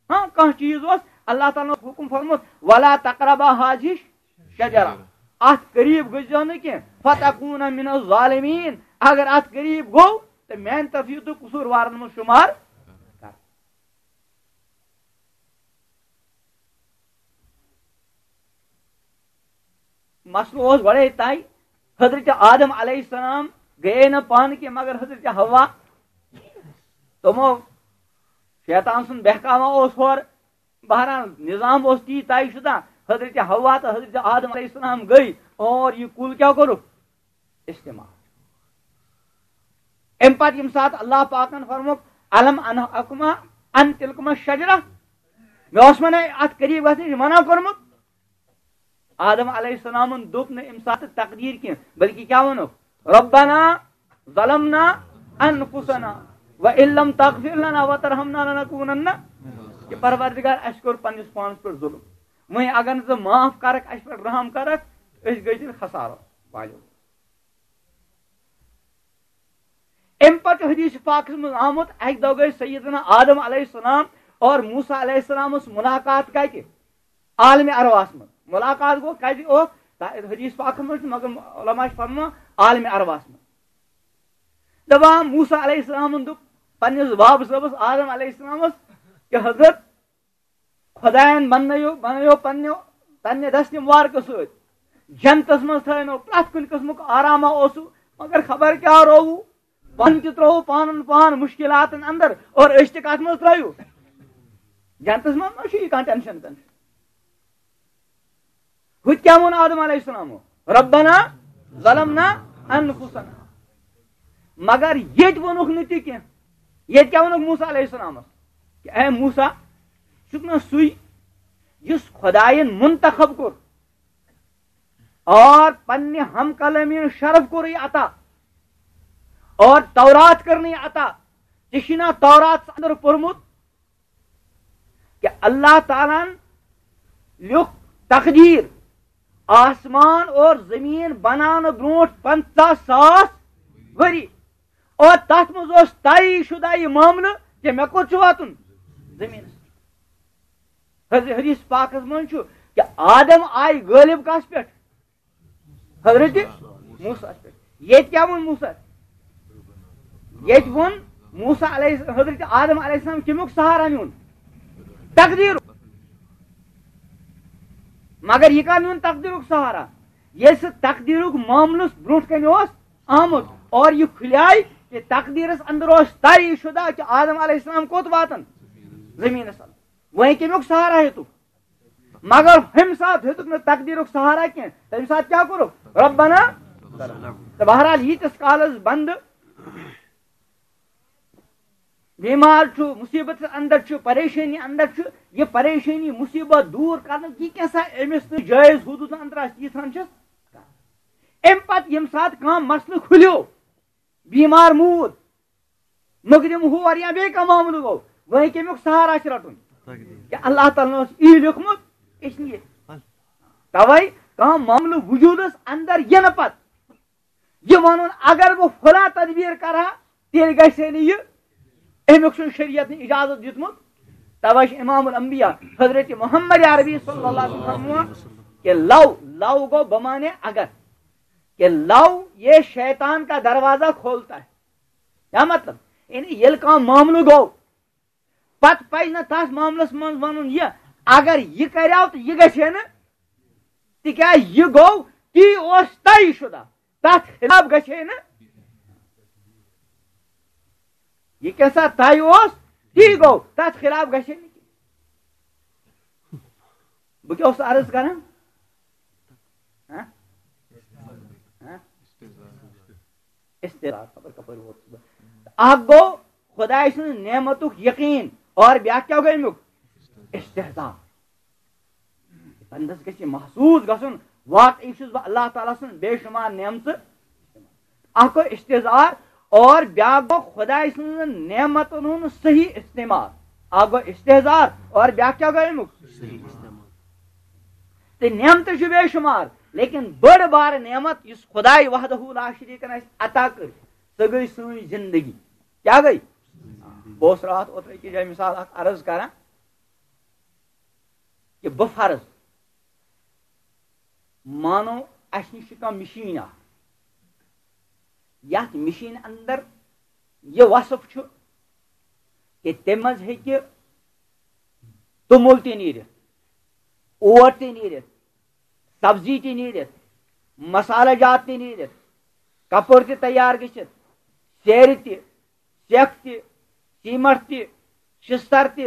ہاں، کانٛہہ چیٖز اوس، اللہ تعالیٰ ہن اوس حُکُم فرموومُت، "ولا تقربا هذه الشجرة"، اتھ قریب گٔژھۍزیو نہٕ کینٛہہ، "فتکونا من الظالمین"، اگر اتھ قریب گوٚو، تہٕ میانہِ طرفہٕ یِیِو تُہۍ قصوٗروارن منٛز شُمار کرنہٕ۔ مسلہٕ اوس گۄڈے طے۔ حضرت آدم علیہ السلام گٔیے نہٕ پانہٕ کینٛہہ، مگر حضرت حوا۔ تِمو، شیطان سُنٛد بہکاوا اوس ہورٕ۔ بہرحال، نظام اوس تی طے شدہ۔ حضرت حوا تہٕ حضرت آدم علیہ السلام گٔے اور یہِ کُل کیٛاہ کوٚرُکھ؟ استعمال۔ اَمہِ پتہٕ ییٚمہِ ساتہٕ اللہ پاکن فرمووُکھ، "الم انہکما عن تلکما الشجرہ"، مےٚ اوس وَنان اَتھ قریب گژھنٕچ منع کوٚرمُت۔ آدم علیہ السلامن دوٚپ نہٕ اَمہِ ساتہٕ تقدیٖر کینٛہہ، بلکہِ کیٛاہ ووٚنُکھ؟ "ربنا ظلمنا انفسنا وان لم تغفر لنا وترحمنا لنکونن"۔ کہ پروردگار، اَسہِ کوٚر پننِس پانس پٮ۪ٹھ ظلم، وۄنۍ اگر نہٕ ژٕ معاف کرکھ، اَسہِ پٮ۪ٹھ رحم کرکھ، أسۍ گٔے تیٚلہِ خسارو والٮ۪و۔ اَمہِ پتہٕ چھُ حدیث پاکس منٛز آمُت، اَکہِ دۄہ گٔے سیدنا آدم علیہ السلام اور موسیٰ علیہ السلامس ملاقات کتہِ؟ عالم ارواحس منٛز۔ ملاقات گوٚو کتہِ اوس؟ تا-، حدیث پاکس منٛز چھُ، مگر علماء چھِ فرماوان عالم ارواحس منٛز۔ دپان موسیٰ علیہ السلامن دوٚپ پننِس بابہٕ صٲبس آدم علیہ السلامس کہ حضرت، خۄدایَن بنٲیِو، بنٲیِو پننہِ، پننہِ دستہِ مبارکہٕ سۭتۍ۔ جنتس منٛز تھٲینو، پرٛٮ۪تھ کُنہِ قٕسمُک آرامہ اوسُو، مگر خبر کیٛاہ رووُ؟ پانہٕ تہِ ترٛووُ پانن پان مُشکِلاتن اندر، اور أسۍ تہِ کتھ منٛز ترٛٲیِو؟ جنتس منٛز ما چھُ یہِ کانٛہہ ٹینشن تنشن؟ ہُتہِ کیٛاہ ووٚن آدم علیہ السلامو؟ "ربنا ظلمنا انفسنا"۔ مگر ییٚتہِ ووٚنُکھ نہٕ تہِ کینٛہہ۔ ییٚتہِ کیٛاہ ووٚنُکھ موسیٰ علیہ السلامس؟ کہ اے موسیٰ، چھُکھ نہ سُے یُس خۄدایَن منتخب کوٚر اور پننہِ ہم کلٲمی شرف کوٚرُے عطا اور تورات کٔرنٕے عطا؟ ژےٚ چھُے نا توراتس اندر پوٚرمُت کہ اللہ تعالیٰ ہن لیوٚکھ تقدیر آسمان اور زمین بناونہٕ برونٹھ پنژاہ ساس ؤری، اور تتھ منٛز اوس طے شدہ یہِ معاملہٕ کہ مےٚ کوٚت چھُ واتُن؟ زمینس۔ حض-، حدیث پاکس منٛز چھُ کہ آدم آیہِ غٲلب کس پٮ۪ٹھ؟ حضرت موسیٰ پٮ۪ٹھ۔ ییٚتہِ کیٛاہ ووٚن موسیٰ؟ ییٚتہِ ووٚن موسیٰ علیہ، حضرت آدم علیہ السلام کمیُک سہارا نیوٗن؟ تقدیٖرُک۔ مگر یہِ کر نیوٗن تقدیٖرُک سہارا؟ ییٚلہِ سُہ تقدیٖرُک معاملہٕ برونٛٹھ کنہِ اوس آمُت اور یہِ کھُلیاے کہ تقدیٖرس اندر اوس طے شدہ کہ آدم علیہ السلام کوٚت واتن؟ زمینس اندر۔ وۄنۍ کمیُک سہارا ہیوٚتُکھ؟ مگر ہُمہِ ساتہٕ ہیوٚتُکھ نہٕ تقدیٖرُک سہارا کینٛہہ۔ تَمہِ ساتہٕ کیٛاہ کوٚرُکھ؟ ربنا۔ تہٕ بہرحال، ییٖتِس کالس بندٕ بیمار چھُ، مُصیبتس اندر چھُ، پریشٲنی اندر چھُ، یہِ پریشٲنی مُصیبت دوٗر کرنُک یہِ کیٛاہ سا أمِس نہٕ جٲیز حدوٗدن اندر آسہِ، ییٖژہن چھِس۔ اَمہِ پتہٕ ییٚمہِ ساتہٕ کانٛہہ مسلہٕ کھُلیو، بیمار موٗد، مقدم ہور یا بیٚیہِ کانٛہہ معاملہٕ گوٚو، وۄنۍ کمیُک سہارا چھُ رٹُن؟ تقدیٖر۔ کیٛاہ اللہ تعالیٰ ہن اوس یی لیوٚکھمُت؟ اس لیے۔ توے کانٛہہ معاملہٕ وجوٗدس اندر یِنہٕ پتہٕ یہِ ونُن، اگر بہٕ فلاں تدبیٖر کرٕ ہا، تیٚلہِ گژھِ ہے نہٕ یہِ، امیُک چھُنہٕ شریعتن اجازت دیُتمُت۔ توے چھُ امام الانبیاء حضرت محمد عربی صلی اللہ علیہ وسلم فرموان کہ لو، لو گوٚو بمانے اگر، کہ لو یہ شیطان کا دروازہ کھولتا ہے۔ کیا مطلب؟ یعنی ییٚلہِ کانٛہہ معاملہٕ گوٚو، پتہٕ پزِ نہٕ تتھ معاملس منٛز ونُن یہِ، اگر یہِ کریو تہٕ یہِ گژھِ ہے نہٕ، تِکیازِ یہِ گوٚو تی اوس طے شدہ، تتھ خلاف گژھِ ہے نہٕ۔ یہِ کیٛاہ سا طے اوس، تی گوٚو، تتھ خلاف گژھِ ہے نہٕ کینٛہہ۔ بہٕ کیٛاہ اوسُس عرض کران؟ ہاں؟ ہاں؟ استحضار، خبر کپٲرۍ ووتُس بہٕ۔ اکھ گوٚو خدایہِ سٕنٛز نعمتُک یقیٖن، اور بیٛاکھ کیٛاہ گوٚو اَمیُک؟ استحضار۔ بندس گژھِ یہِ محسوٗس گژھُن، واقعی چھُس بہٕ اللہ تعالیٰ سٕنٛز بے شمار نعمژٕ۔ اکھ گوٚو استحضار، اور بیاکھ گوٚو خداے سٕنٛزن نعمتن ہُنٛد صحیح استعمال۔ اکھ گوٚو استحضار اور بیاکھ کیٛاہ گوٚو اَمیُک؟ صحیح استعمال۔ تہٕ نعمتہٕ چھُ بے شُمار، لیکن بٔڑ بار نعمت یُس خداے وحدہ لا شریک اَسہِ عطا کٔر، سۄ گٔے سٲنۍ زندگی۔ کیٛاہ گٔے؟ بہٕ اوسُس راتھ اوترٕ أکِس جایہِ مثال اکھ عرض کران کہِ بہٕ فرض مانو، اَسہِ نِش چھِ کانٛہہ مِشیٖن اَکھ، یَتھ مِشیٖن اَندَر یہِ وصف چھُ کہِ تَمہِ منٛز ہیٚکہِ توٚمُل تہِ نیٖرِتھ، اوٹ تہِ نیٖرِتھ، سبزی تہِ نیٖرِتھ، مسالہٕ جات تہِ نیٖرِتھ، کپُر تہِ تیار گٔژھِتھ، سیرِ تہِ، سیٚکھ تہِ، سیٖمٹ تہِ، شِستر تہِ،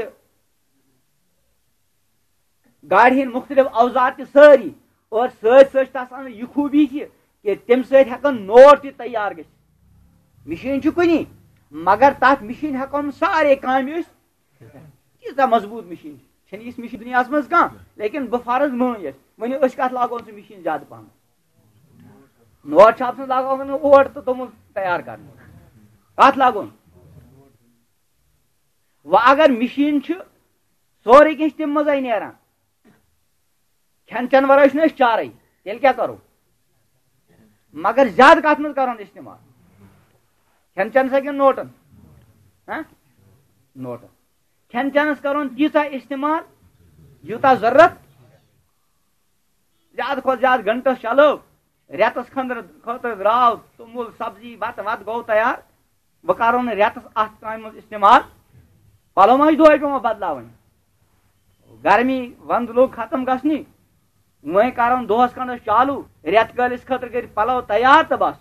گاڑِ ہٕنٛدۍ مُختٔلِف اوزار تہِ سٲری، اور سۭتۍ سۭتۍ چھِ تَس اَنان یہِ خوٗبی تہِ کہِ تَمہِ سۭتۍ ہٮ۪کَن نوٹ تہِ تیار گٔژھِتھ۔ مِشیٖن چھِ کُنی، مگر تَتھ مِشیٖن ہٮ۪کو نہٕ سارے کامہِ أسۍ، تیٖژاہ مضبوٗط مِشیٖن چھِ۔ چھَنہٕ یِژھ مِشیٖن دُنیاہَس منٛز کانٛہہ، لیکن بہٕ فرض مٲنۍ اَسہِ، ؤنِو أسۍ کَتھ لاگو سُہ مِشیٖن زیادٕ پَہَم؟ نوٹ چھاپس منٛز لاگو نہٕ اوٹ تہٕ توٚمُل تیار کرنہٕ۔ کتھ لاگُن؟ وۄنۍ اگر مِشیٖن چھِ، سورُے کینٛہہ چھِ تَمہِ منٛزٕے نیران۔ کھٮ۪ن چٮ۪ن ورٲے چھُنہٕ أسۍ چارٕے، تیٚلہِ کیٛاہ کرو؟ مگر زیادٕ کتھ منٛز کرون استعمال؟ کھٮ۪ن چٮ۪نس ہا کِنہٕ نوٹن؟ ہہ؟ نوٹن۔ کھٮ۪ن چٮ۪نس کرون تیٖژاہ استعمال، یوٗتاہ ضروٗرت۔ زیادٕ کھۄتہٕ زیادٕ گھنٹس چلٲو، رٮ۪تس خٲطرٕ، خٲطرٕ درٛاو توٚمُل، سبزی، بتہٕ وتہٕ گوٚو تیار۔ وۄنۍ کرو نہٕ رٮ۪تس اتھ کامہِ منٛز استعمال۔ پلو ما چھِ دۄہے پٮ۪وان بدلاوٕنۍ؟ گرمی ونٛدٕ لوٚگ ختم گژھنہِ، وۄنۍ کرو نہٕ دۄہس کھنڈس چالو، رٮ۪تہٕ کٲلِس خٲطرٕ کٔرۍ پلو تیار تہٕ بس۔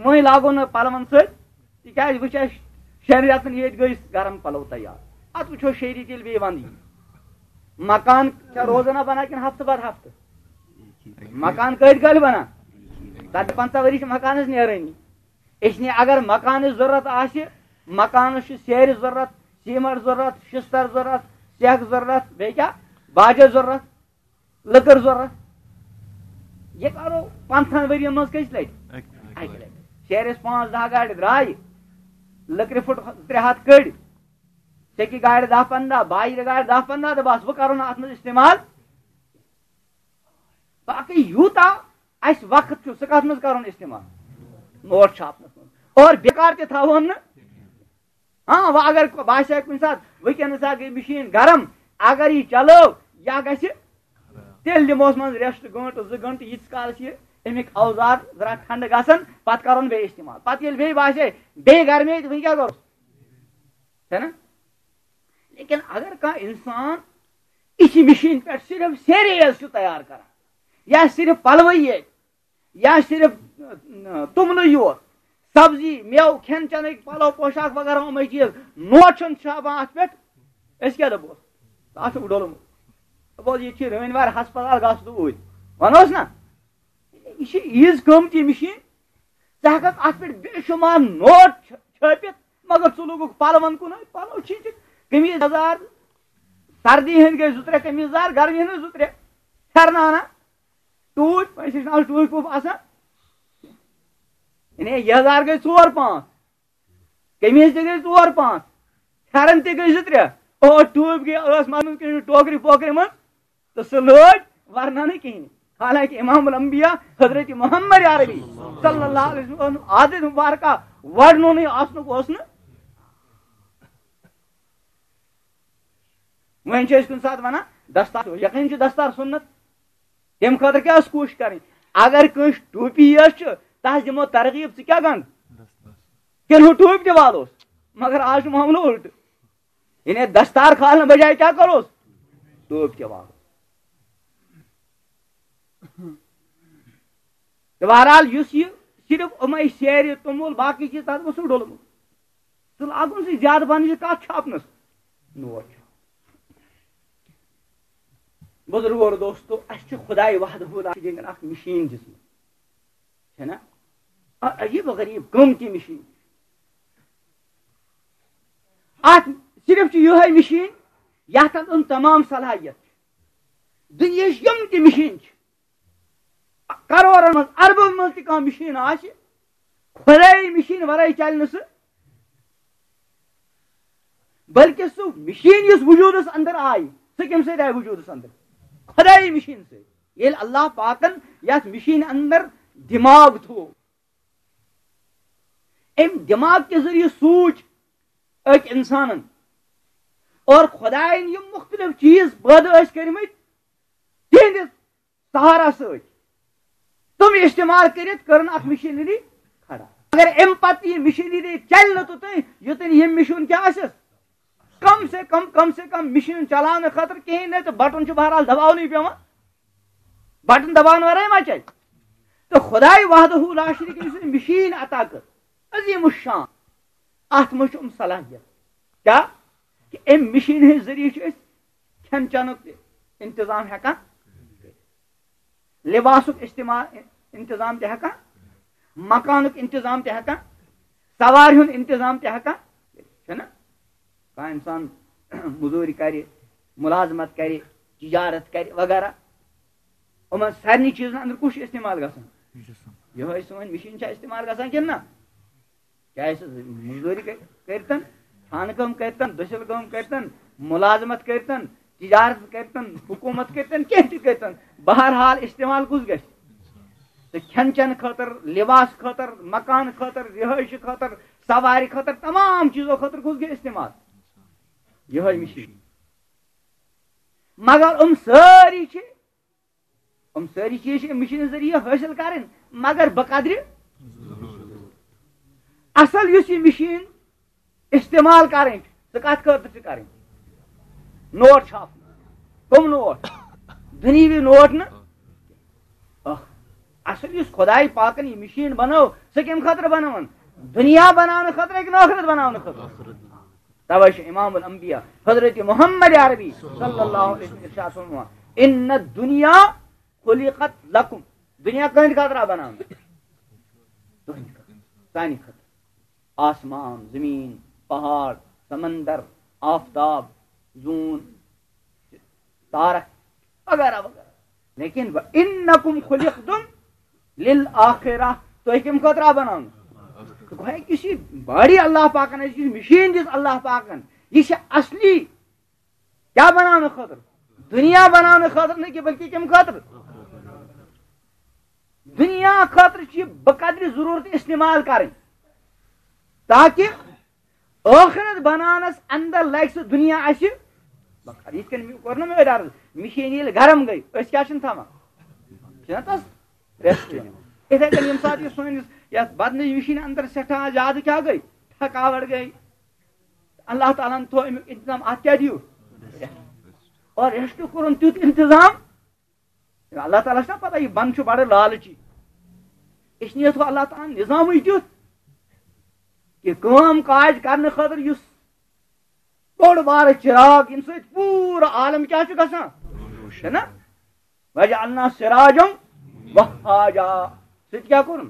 وۄنۍ لاگو نہٕ پلون سۭتۍ، تِکیازِ وٕچھ اَسہِ شٮ۪ن رٮ۪تن ییٚتہِ گٔے گرم پلو تیار۔ اتھ وٕچھو شیٚیہِ ریٚتۍ ییٚلہِ بیٚیہِ ونٛدٕ یی۔ مکان چھا روزانہ بنان کِنہٕ ہفتہٕ پتہٕ ہفتہٕ؟ مکان کٔتۍ کٲلۍ بنان؟ ژتجی پنٛژاہ ؤری چھِ مکانس نیرٲنی۔ اس لیے اگر مکانٕچ ضروٗرت آسہِ، مکانس چھُ سیرِ ضروٗرت، سیمٹ ضروٗرت، شِستر ضروٗرت، سیٚکھ ضروٗرت، بیٚیہِ کیٛاہ؟ باجہِ ضروٗرت، لٔکٕر ضروٗرت۔ یہِ کرو پنٛژاہن ؤرین منٛز کٔژِ لٹہِ؟ اَکہِ لٹہِ۔ اَکہِ لٹہِ۔ شیرِ ٲسۍ پانٛژھ دَہ گاڑِ درٛایہِ، لٔکرِ پھُٹ ترٛےٚ ہَتھ کٔڑۍ، سیٚکہِ گاڑِ دَہ پنٛداہ، باجرِ گاڑِ دَہ پنٛداہ، تہٕ بس، وۄنۍ کرو نہٕ اتھ منٛز استعمال۔ باقٕے یوٗتاہ اَسہِ وقت چھُ، سُہ کَتھ منٛز کَرون استعمال؟ نوٹ چھاپنَس منٛز۔ اور بیکار تہِ تھاوون نہٕ۔ ہاں، وۄنۍ اگر باسہِ کُنہِ ساتہٕ وٕنکیٚنَس ہا گٔے مِشیٖن گرم، اگر یہِ چلٲو، یا گژھِ، تیٚلہِ دِموس منٛز ریسٹ گٲنٛٹہٕ زٕ گٲنٛٹہٕ، ییٖتِس کالَس یہِ اَمِکۍ اوزار ذرا ٹھنڈٕ گژھن، پَتہٕ کَرون بیٚیہِ استعمال۔ پَتہٕ ییٚلہِ بیٚیہِ باسہِ، بیٚیہِ گرمی تہٕ وٕنہِ کیٛاہ کَرو؟ ہے نا؟ لیکن اگر کانٛہہ اِنسان یِتھِ مِشیٖن پٮ۪ٹھ صرف سیرِ یٲژ چھُ تیار کران، یا صرف پلوٕے یٲتۍ، یا صرف، اہ، توٚملٕے یوت، سبزی، مٮ۪وٕ، کھٮ۪ن چٮ۪نٕکۍ پلو، پوشاک وغیرہ، یِمے چیٖز، نوٹ چھُنہٕ چھاپان اَتھ پٮ۪ٹھ، أسۍ کیٛاہ دَپوس؟ اَتھ چھُ ڈوٚلمُت۔ دَپوس، ییٚتہِ چھِ رٲنۍ وارِ ہسپتال، گژھ تہٕ اوٗرۍ۔ وَنوس نا؟ یہِ چھِ ییٖژ قۭمتی مِشیٖن، ژٕ ہٮ۪ککھ اَتھ پٮ۪ٹھ بے شُمار نوٹ چھٲ-، چھٲپِتھ، مگر ژٕ لوگُکھ پَلوَن کُنُے، پَلو چھِنہٕ، قمیٖض یَزار، سردی ہٕنٛدۍ گٔے زٕ ترٛےٚ قمیٖض یَزار، گرمی ہٕنٛدۍ زٕ ترٛےٚ پھٮ۪رنہٕ اَنان، ٹوٗپۍ، أسۍ ٲسۍ نہٕ آز ٹوٗپۍ ووٗپۍ آسان، یعنی یَزار گٔے ژور پانٛژھ، قمیٖض تہِ گٔے ژور پانٛژھ، پھٮ۪رن تہِ گٔے زٕ ترٛےٚ، او ٹوٗپۍ گٔے ٲس منٛز کُنہِ ٹوکرِ پوکرِ منٛز، تہٕ سُہ لٲج ورنہٕ نہٕ کِہیٖنۍ۔ حالانکہ امام الانبیاء حضرت محمد عربی صلی اللہ علیہ وسلم عادت مبارکہ ورنُنٕے آسنُک اوس نہٕ۔ وۄنۍ چھِ أسۍ کُنہِ ساتہٕ وَنان دستار، یقیٖن چھُ دستار سُنت۔ تَمہِ خٲطرٕ کیٛاہ ٲس کوٗشِش کَرٕنۍ؟ اگر کٲنٛسہِ ٹوپی یٲژ چھِ، تَس دِمو ترغیٖب، ژٕ کیٛاہ گنٛڈ؟ کِنہٕ ہُہ ٹوپۍ تہِ والوس؟ مگر آز چھُ معاملہٕ اُلٹہٕ۔ یعنی دستار کھالنہٕ بجایہِ کیٛاہ کَروس؟ ٹوپۍ تہِ والو۔ تہٕ بہرحال، یُس یہِ صرف یِمے سیرِ، توٚمُل، باقٕے چیٖز، تَتھ گوٚژھ نہٕ ڈوٚلمُت۔ تہٕ لاگُن سُہ زیادٕ پَہَن یہِ کَتھ چھاپنَس۔ نوٹ چھُ۔ بُزرگو اور دوستو، اَسہِ چھُ خداے وحدہ لا شریٖک اَکھ مِشیٖن دِژمٕژ۔ چھےٚ نا؟ ا-، عجیٖب و غریٖب قۭمتی مِشیٖن۔ اَتھ صرف چھِ یِہوٚے مِشیٖن، یَتھ اَنٛدر تمام صلاحیت چھِ۔ دُنیاہٕچ یِم تہِ مِشیٖن چھِ، کرورن منٛز، اربن منٛز تہِ کانٛہہ مِشیٖن آسہِ، خۄداے مِشیٖن ورٲے چلہِ نہٕ سُہ، بلکہِ سُہ مِشیٖن یُس وجوٗدس اندر آیہِ، سُہ کَمہِ سۭتۍ آیہِ وجوٗدس اندر؟ خۄداے مِشیٖن سۭتۍ۔ ییٚلہِ اللہ پاکن یتھ مِشیٖنہِ اندر دِماغ تھوو، أمۍ دِماغ کہِ ذٔریعہٕ سوٗنٛچ أکۍ اِنسانن، اور خۄدایَن یِم مُختٔلِف چیٖز پٲدٕ ٲسۍ کٔرمٕتۍ، تِہنٛدِس سہارا سۭتۍ تِم استعمال کٔرِتھ کٔرٕن اکھ مِشیٖنری کھڑا۔ اگر اَمہِ پتہٕ یہِ مِشیٖنری چلہِ نہٕ توٚتام، یوٚتام ییٚمہِ مِشیٖن کیٛاہ آسٮ۪س، کم سے کم، کم سے کم مِشیٖن چلاونہٕ خٲطرٕ کِہیٖنۍ نہٕ، تہٕ بٹن چھُ بہرحال دباونٕے پٮ۪وان۔ بٹن دباونہٕ ورٲے ما چلہِ؟ تہٕ خۄداے وحدہ لا شریک، یُس أمۍ مِشیٖن عطا کٔر، عظیٖم الشان، اتھ منٛز چھُ أمۍ صلاحیت۔ کیٛاہ؟ کہِ أمۍ مِشیٖن ہٕنٛدۍ ذٔریعہٕ چھِ أسۍ کھٮ۪ن چٮ۪نُک تہِ انتظام ہٮ۪کان، لباسُک استعمال، انتظام تہِ ہٮ۪کان، مکانُک انتظام تہِ ہٮ۪کان، سوارِ ہُنٛد انتظام تہِ ہٮ۪کان۔ چھُنہ؟ کانٛہہ انسان مٔزوٗرۍ کرِ، مُلازمت کرِ، تجارت کرِ وغیرہ، یِمن سارنٕے چیٖزن اندر کُس چھُ استعمال گژھان؟ یِہوٚے سٲنۍ مِشیٖن چھا استعمال گژھان کِنہٕ نہ؟ چاہے سُہ مٔزوٗرۍ کٔرۍ-، کٔرۍتن، خانہٕ کٲم کٔرۍتن، دٔسِل کٲم کٔرۍتن، مُلازمت کٔرۍتن، تجارت کٔرۍتن، حکوٗمت کٔرۍتن، کینٛہہ تہِ کٔرۍتن، بہرحال استعمال کُس گژھِ؟ تہٕ کھٮ۪ن چٮ۪ن خٲطرٕ، لباس خٲطرٕ، مکان خٲطرٕ، رہٲیشہِ خٲطرٕ، سوارِ خٲطرٕ، تمام چیٖزو خٲطرٕ کُس گژھِ استعمال؟ یِہوٚے مِشیٖن۔ مگر یِم سٲری چھِ، یِم سٲری چیٖز چھِ اَمہِ مِشیٖن ذٔریعہٕ حٲصِل کَرٕنۍ، مگر بقدرِ۔ اَصٕل یُس یہِ مِشیٖن استعمال کَرٕنۍ چھِ، سُہ کَتھ خٲطرٕ چھِ کَرٕنۍ؟ نوٹ چھاپنہٕ۔ کٕم نوٹ؟ دُنیاوی نوٹ نہٕ۔ اَکھ۔ اَصٕل یُس خۄداے پاکَن یہِ مِشیٖن بَنٲو، سُہ کَمہِ خٲطرٕ بَنٲوٕن؟ دُنیا بَناونہٕ خٲطرٕ کِنہٕ ٲخرت بَناونہٕ خٲطرٕ؟ توے چھُ امام الانبیاء حضرت محمد عربی صلی اللہ علیہ وسلم ارشاد فرماوان، "ان الدنیا خلقت لکم"، دنیا کٕہٕنٛدِ خٲطرٕ آو بناونہٕ؟ تُہٕنٛدِ خٲطرٕ، سانہِ خٲطرٕ۔ آسمان، زمین، پہاڑ، سمندر، آفتاب، زوٗن، تارک وغیرہ وغیرہ۔ لیکن وَإِنَّكُمْ خُلِقْتُمْ لِلْآخِرَةِ، تُہۍ کَمہِ خٲطرٕ آو بناونہٕ؟ گویا یُس یہِ باڈی اللہ پاکن اَسہِ، یُس مِشیٖن دِژ اللہ پاکن، یہِ چھِ اصلی کیٛاہ بناونہٕ خٲطرٕ؟ دُنیا بناونہٕ خٲطرٕ نہٕ کینٛہہ، بلکہِ کَمہِ خٲطرٕ؟ دُنیا خٲطرٕ چھِ یہِ بقدرِ ضروٗرت استعمال کرٕنۍ، تاکہِ ٲخرت بناونس اندر لگہِ سُہ دُنیا اسہِ بکار۔ یِتھ کٔنۍ مےٚ کوٚر نہ مےٚ أتھۍ عرض، مِشیٖن ییٚلہِ گرم گٔے، أسۍ کیٛاہ چھِنہٕ تھاوان؟ چھِنہ تَس rest دِوان۔ یِتھَے کٔنۍ ییٚمہِ ساتہٕ یہِ سٲنِس یَتھ بدنٕچ مِشیٖنہِ اندر سٮ۪ٹھاہ زیادٕ کیٛاہ گٔے؟ تھکاوٹ گٔے۔ اللہ تعالیٰ ہن تھوٚو اَمیُک انتظام، اَتھ کیٛاہ دِیِو؟ اور rest کوٚرُن تیُتھ انتظام، اللہ تعالیٰ چھنا پتہ، یہِ بندٕ چھُ بڑٕ لالچی۔ اس لیے تھوٚو اللہ تعالیٰ ہن نظامٕے تیُتھ کہِ کٲم کاج کرنہٕ خٲطرٕ یُس بوٚڑ بارٕ چراغ، ییٚمہِ سۭتۍ پوٗرٕ عالم کیٛاہ چھُ گژھان؟ چھُنہ؟ "وجعلنا سراجا وہاجا"۔ سُہ تہِ کیٛاہ کوٚرُن؟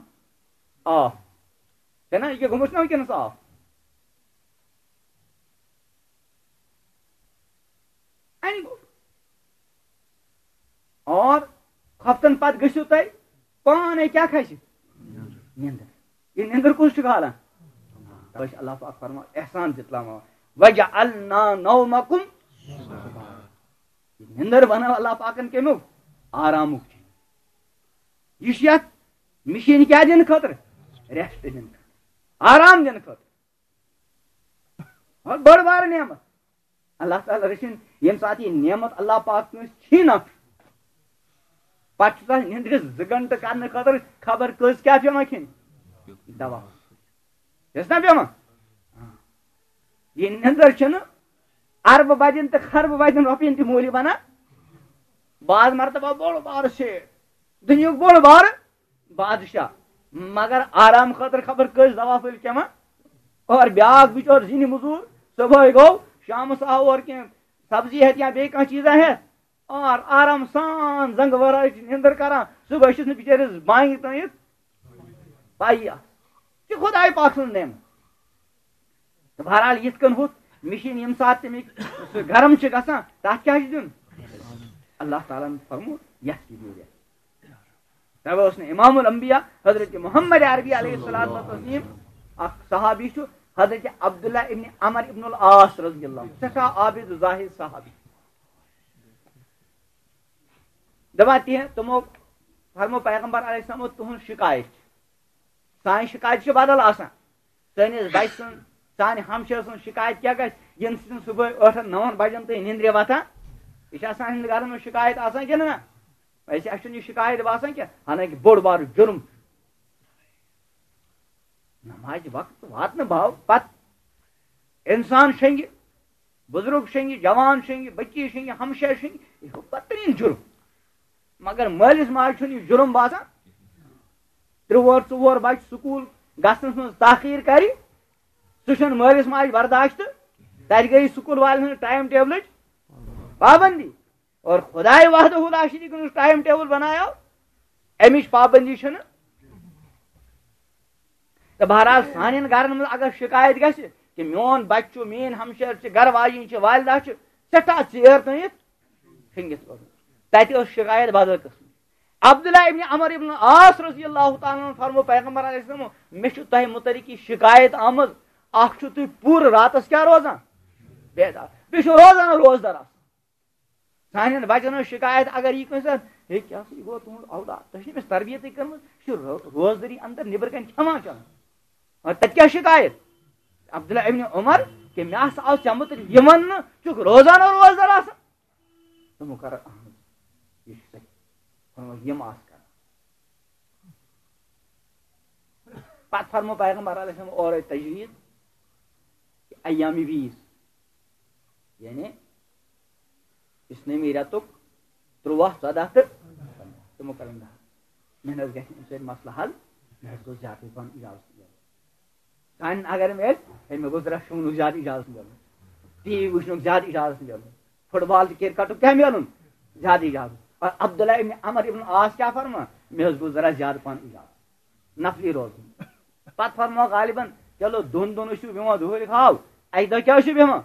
آف۔ چھُنہ؟ یہِ کیٛاہ گوٚمُت چھُنہ وٕنکیٚنس آف؟ اَنہِ گوٚو۔ اور ہفتن پتہٕ گٔژھِو تُہۍ پانے کیٛاہ کھسہِ؟ نیندر۔ یہِ نیندر کُس چھُ کھالان؟ تۄہہِ چھُ اللہ پاک فرمان، احسان دِتلاوان، "وجعلنا نومکم"۔ یہِ نیندر بنٲو اللہ پاکن کمیُک؟ آرامُک چیٖز۔ یہِ چھُ یتھ مِشیٖن کیٛاہ دِنہٕ خٲطرٕ؟ Rest دِنہٕ خٲطرٕ، آرام دِنہٕ خٲطرٕ۔ اور بٔڑ بارٕ نعمت۔ اللہ تعالیٰ رٔچھِنۍ، ییٚمہِ ساتہٕ یہِ نعمت اللہ پاک کٲنٛسہِ چھیٖنہ، پتہٕ چھُ تَس نیٚنٛدرِ زٕ گھنٹہٕ کرنہٕ خٲطرٕ خبر کٔژ کیٛاہ پٮ۪وان کھیٚنۍ؟ دوا۔ چھَس نا پٮ۪وان؟ یہِ نیٚنٛدٕر چھَنہٕ اربہٕ بجن تہٕ خربہٕ بجن رۄپین تہِ موٗلی بنان۔ بعض مرتبہ بوٚڑ بارٕ شیٹھ، دُنیہُک بوٚڑ بارٕ بادشاہ، مگر آرام خٲطرٕ خبر کٔژ دوا پھٔلۍ کھٮ۪وان۔ اور بیٛاکھ بِچور زِنہِ مٔزوٗر، صُبحٲے گوٚو، شامَس آو اورٕ کینٛہہ سبزی ہٮ۪تھ یا بیٚیہِ کانٛہہ چیٖزا ہٮ۪تھ، اور آرام سان زنٛگہٕ ورٲے چھِ نِندٕر کران، صُبحٲے چھُس نہٕ بِچٲرِس بانگہِ تام یِتھ پَیی آسان۔ یہِ چھِ خۄداے پاک سٕنٛز نعمت۔ تہٕ بہرحال، یِتھ کٔنۍ ہُتھ مِشیٖن ییٚمہِ ساتہٕ تَمِکۍ سُہ گرم چھِ گژھان، تَتھ کیٛاہ چھُ دیُن؟ اللہ تعالیٰ ہَن فرموو، یَتھ تہِ دِیِو rest۔ تَوَے اوس نہٕ امام الانبیاء حضرت محمد عربی علیہ الصلوۃ والتسلیم، اکھ صحابی چھُ حضرت عبداللہ ابن عمر ابن العاص رضی اللہ عنہ، سٮ۪ٹھاہ عابد زاہد صحابی۔ دَپان تِہنٛد، تِمو فرمو پیغمبر علیہ السلامو تُہنٛز شکایت چھِ۔ سانہِ شکایت چھِ بدل آسان۔ سٲنِس بچہِ سٕنٛز، سانہِ ہمشیرٕ سٕنٛز شکایت کیٛاہ گژھِ؟ ییٚمہِ سۭتۍ سُہ صُبحٲے ٲٹھن نَون بجن تُہۍ نِندرِ وۄتھان۔ یہِ چھِ آسان سانٮ۪ن گرن منٛز شکایت آسان کِنہٕ نہ؟ اَسہِ، اَسہِ چھُنہٕ یہِ شکایت باسان کینٛہہ، حالانکہِ بوٚڑ بارٕ جُرم۔ نمازِ وقت واتنہٕ باو پتہٕ انسان شنگہِ، بزرگ شنگہِ، جوان شنگہِ، بچی شنگہِ، ہمشیر شنگہِ، یہِ چھُ بدترین جُرم۔ مگر مٲلِس ماجہِ چھُنہٕ یہِ جُرم باسان۔ ترٛےٚ وُہر، ژور بچہِ سکوٗل گژھنس منٛز تاخیر کرِ، سُہ چھُنہٕ مٲلِس ماجہِ برداشت۔ تتہِ گٔیہِ سکوٗل والٮ۪ن ہٕنٛز ٹایم ٹیبلٕچ پابندی۔ اور خدائے وحدہ لا شریک ہُنٛد ٹایم ٹیبل بنایا، امِچ پابندی چھنہٕ۔ تہٕ بہرحال سانٮ۪ن گرن منٛز اگر شکایت گژھِ کہِ میون بچہِ چھُ، میٲنۍ ہمشیر چھِ، گرٕ واجِنۍ چھِ، والدہ چھِ سٮ۪ٹھاہ ژیر تٲنِتھ شٔنگِتھ روزان، تتہِ ٲس شکایت بدل قٕسمٕچ۔ عبداللہ ابن عمر ابن عاص رضی اللہ تعالیٰ عنہ فرمو پیغمبر علیہ السلام، مےٚ چھُ تۄہہِ متعلق یہِ شکایت آمٕژ، اکھ چھُ تُہۍ پوٗرٕ راتس کیٛاہ روزان؟ بیدار۔ بیٚیہِ چھُ روزان روزدار آسان۔ سانٮ۪ن بچن ہٕنٛز شکایت اگر یی کٲنٛسہِ، ہے، کیٛاہ سا یہِ گوٚو تُہُنٛد اولاد؟ تۄہہِ چھِ أمِس تربیتٕے کٔرمٕژ، یہِ چھُ رو-، روزدٔری اندر نیٚبرٕ کنہِ کھٮ۪وان چٮ۪وان۔ اور تتہِ کیٛاہ شکایت؟ عبداللہ ابن عمر، کہِ مےٚ ہسا آو ژےٚ مُتعلق یہِ وننہٕ، ژٕ چھُکھ روزان اور روزدار آسان؟ تِمو کٔر اہم، یہِ چھُ صحیح۔ فرموو، یِم آسہٕ کران۔ پتہٕ فرموو پیغمبر علیہ السلام اورے تجویز، کہ ایام بیس، یعنی اِسلٲمی رٮ۪تُک تُرٛواہ، ژۄداہ تہٕ پنٛداہ۔ تِمو کٔرٕن دَہ۔ مےٚ نہ حظ گژھِ اَمہِ سۭتۍ مسلہٕ حل، مےٚ حظ گوٚژھ زیادٕ پَہَن اِجازت میلُن۔ سانٮ۪ن اگر میلہِ، ہے، مےٚ گوٚژھ رَس شۄنٛگنُک زیادٕ اِجازت میلُن، ٹی وی وٕچھنُک زیادٕ اِجازت میلُن، فُٹ بال تہٕ کِرکَٹُک کیٛاہ میلُن؟ زیادٕ اِجازت۔ اور عبداللہ ابن عمر ابن عاص کیٛاہ فرمان؟ مےٚ حظ گوٚژھ ذرا زیادٕ پَہَن اِجازت، نفلی روزُن۔ پَتہٕ فرموو غالباً، چلو، دۄن دۄہَن ٲسِو بیٚہوان دُہُرِ خاب، اَکہِ دۄہ کیٛاہ ٲسِو بیٚہوان؟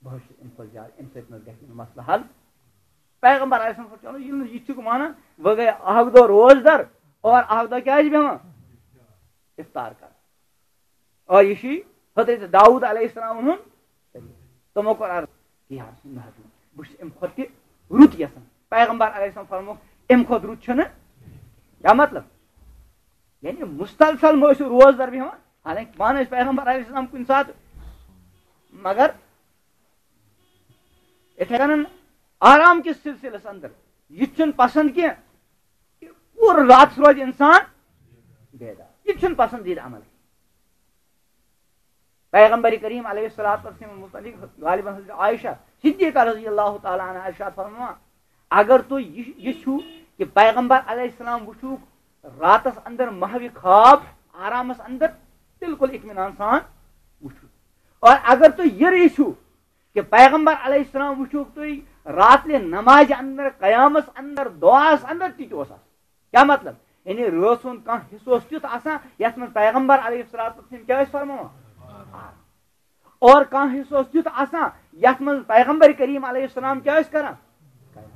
بہٕ حظ چھُس اَمہِ کھۄتہٕ زیادٕ، اَمہِ سۭتۍ نہ حظ گژھِ نہٕ مسلہٕ حل۔ پیغمبر علیہ السلام فرموو، چلو، ییٚلہِ نہٕ یہِ چھُکھ مانان، وۄنۍ گٔے اَکھ دۄہ روزدر اور اَکھ دۄہ کیٛازِ بیٚہوان؟ افطار کران۔ اور یہِ چھُ حضرت داؤد علیہ السلام ہُنٛد۔ تِمو کوٚر عرض، "یا رسول اللہ، بہٕ چھُس اَمہِ کھۄتہٕ تہِ رُت یژھان۔" پیغمبر علیہ السلام فرموو، "اَمہِ کھۄتہٕ رُت چھُنہٕ۔" کیٛاہ مطلب؟ یعنی مُسلسل مہ ٲسِو روزدر بیٚہوان، حالانکہ پانہٕ ٲسۍ پیغمبر علیہ السلام کُنہِ ساتہٕ، مگر یِتھے کٔنۍ آرام کِس سلسلس اندر یہِ تہِ چھُنہٕ پسند کینٛہہ کہ پوٗرٕ راتس روزِ انسان بیدار۔ یہِ تہِ چھُنہٕ پسندیدٕ عمل۔ پیغمبر کریم علیہ الصلوۃ والسلام متعلق غالباً حضرت عائشہ صدیقہ رضی اللہ تعالیٰ عنہا ارشاد فرماوان، اگر تُہۍ یہِ، یہِ چھُو کہ پیغمبر علیہ السلام وٕچھُکھ راتس اندر محوِ خواب آرامس اندر، بالکل اطمینان سان وٕچھُکھ۔ اور اگر تُہۍ یہِ یژھِو کہ پیغمبر علیہ السلام وٕچھُکھ تُہۍ راتلہِ نمازِ اندر، قیامس اندر، دعاہس اندر، تہِ تہِ اوس آسان۔ کیٛاہ مطلب؟ یعنی رٲژ ہُنٛد کانٛہہ حصہٕ اوس تیُتھ آسان یتھ منٛز پیغمبر علیہ الصلوۃ والسلام کیٛاہ ٲسۍ فرماوان؟ اور کانٛہہ حصہٕ اوس تیُتھ آسان یتھ منٛز پیغمبر کریم علیہ السلام کیٛاہ ٲسۍ کران؟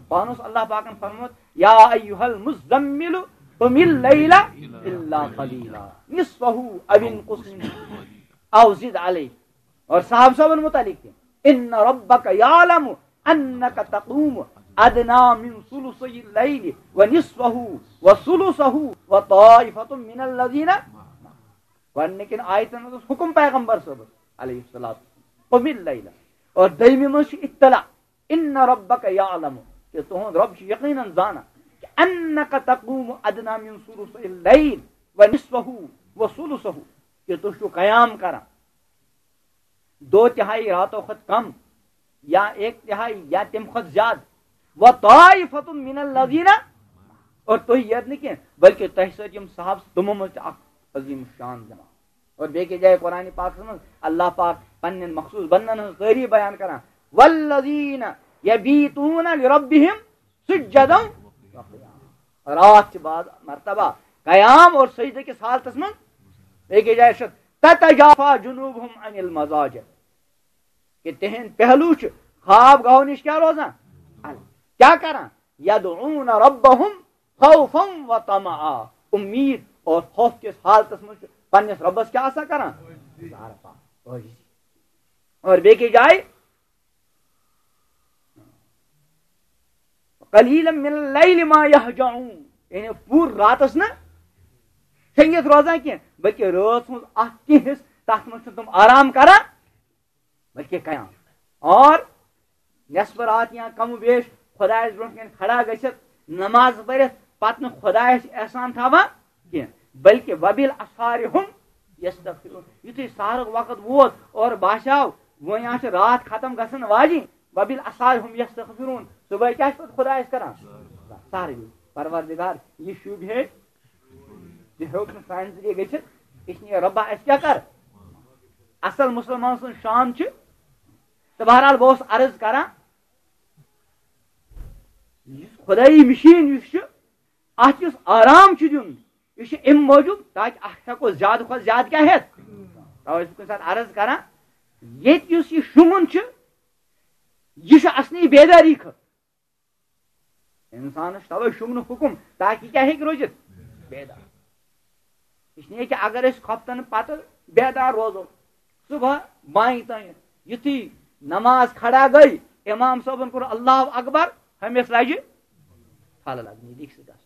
پانہٕ اوس اللہ پاکن فرموومُت، "یا ایھا المزمل قم اللیل الا قلیلا نصفہ او انقص منہ او زد علیہ۔" اور صحابہ صٲبن متعلق تہِ، "ان ربک یعلم انک تقوم ادنی من ثلثی اللیل و نصفہ و ثلثہ و طائفۃ من الذین۔" گۄڈٕنِکٮ۪ن آیتن منٛز اوس حکم پیغمبر صٲبس علیہ الصلوۃ والسلام، "قم اللیل۔" اور دوٚیمہِ منٛز چھُ اطلاع، "ان ربک یعلم"، کہ تُہُنٛد رب چھُ یقیناً زانان، کہ "انک تقوم ادنی من ثلثی اللیل و نصفہ و ثلثہ"، کہ تُہۍ چھِو قیام کران دو تہائی راتو کھۄتہٕ کم یا ایک تہائی یا تمہِ کھۄتہٕ زیادٕ، "و طائفۃ من الذین"، اور تُہۍ یوت نہٕ کینٛہہ بلکہ تۄہہِ سۭتۍ یِم صحابہٕ، تِمو منٛز تہِ اکھ عظیم شان جماعت۔ اور بیٚیہِ کہِ جایہِ قرآن پاکس منٛز اللہ پاک پننٮ۪ن مخصوص بندن ہٕنٛز تعریف بیان کران، "والذین یبیتون لربہم سجدا و قیاما"، راتھ چھِ بعض مرتبہ قیام اور سجدٕ کِس حالتس منٛز۔ بیٚیہِ کہِ جایہِ چھِ، "تتجافی جنوبہم عن المضاجع"، کہ تِہنٛدۍ پہلو چھِ خواب گاہو نِش کیٛاہ روزان؟ الگ۔ کیٛاہ کران؟ "یدعون ربہم خوفا و طمعا، امید اور خوف کِس حالتس منٛز چھُ پننِس رۄبس کیٛاہ آسان کران؟ زارٕ پار، عٲجزی۔ اور بیٚیہِ کِس جایہِ، قلیلا من اللیل ما یہجعون، یعنی پوٗرٕ راتس نہٕ شۄنگِتھ روزان کینٛہہ، بلکہِ رٲژ ہُنٛد اکھ کینٛہہ حصہٕ، تتھ منٛز چھِ تِم آرام کران، بلکہِ قیام۔ اور نصف رات یا کم و بیش خدایس برونٛٹھ کَنہِ کھڑا گٔژھِتھ، نماز پٔرِتھ، پتہٕ نہٕ خدایس احسان تھاوان کینٛہہ، بلکہِ وبالاسحار هم یستغفرون۔ یُتھُے سحرُک وقت ووت اور باسیو وۄنۍ آسہِ رات ختم گژھن واجِنۍ، وبالاسحار هم یستغفرون، صبحٲے کیٛاہ چھِ پتہٕ خدایس کران؟ سحر۔ پروردگار، یہِ شوٗبہِ ہے، یہِ ہیوٚک نہٕ سانہِ ذٔریعہٕ گٔژھِتھ، اس لیے رۄبا اَسہِ کیٛاہ کر؟ اصل مسلمان سٕنٛز شان چھِ۔ تہٕ بہرحال بہٕ اوسُس عرض کران، یُس خدٲیی مِشیٖن یُس چھُ، اَتھ یُس آرام چھُ دیُن، یہِ چھُ اَمہِ موٗجوٗب تاکہِ اَتھ ہٮ۪کو زیادٕ کھۄتہٕ زیادٕ کیٛاہ ہٮ۪تھ؟ تَوَے چھُس بہٕ کُنہِ ساتہٕ عرض کران، ییٚتہِ یُس یہِ شۄنٛگُن چھُ، یہِ چھُ اصلی بیدٲری خٲطرٕ۔ انسانس چھُ توے شۄنٛگنُک حُکم، تاکہِ کیٛاہ ہیٚکہِ روٗزِتھ؟ بیدار۔ اس لیے کہ اگر أسۍ خۄفتن پتہٕ بیدار روزو، صبح بانہِ تام، یُتھُے نماز کھڑا گٔے، امام صٲبن کوٚر اللہ اکبر، ہُمِس لجہِ پھل لگنی، لیکھِ سُہ گژھُن۔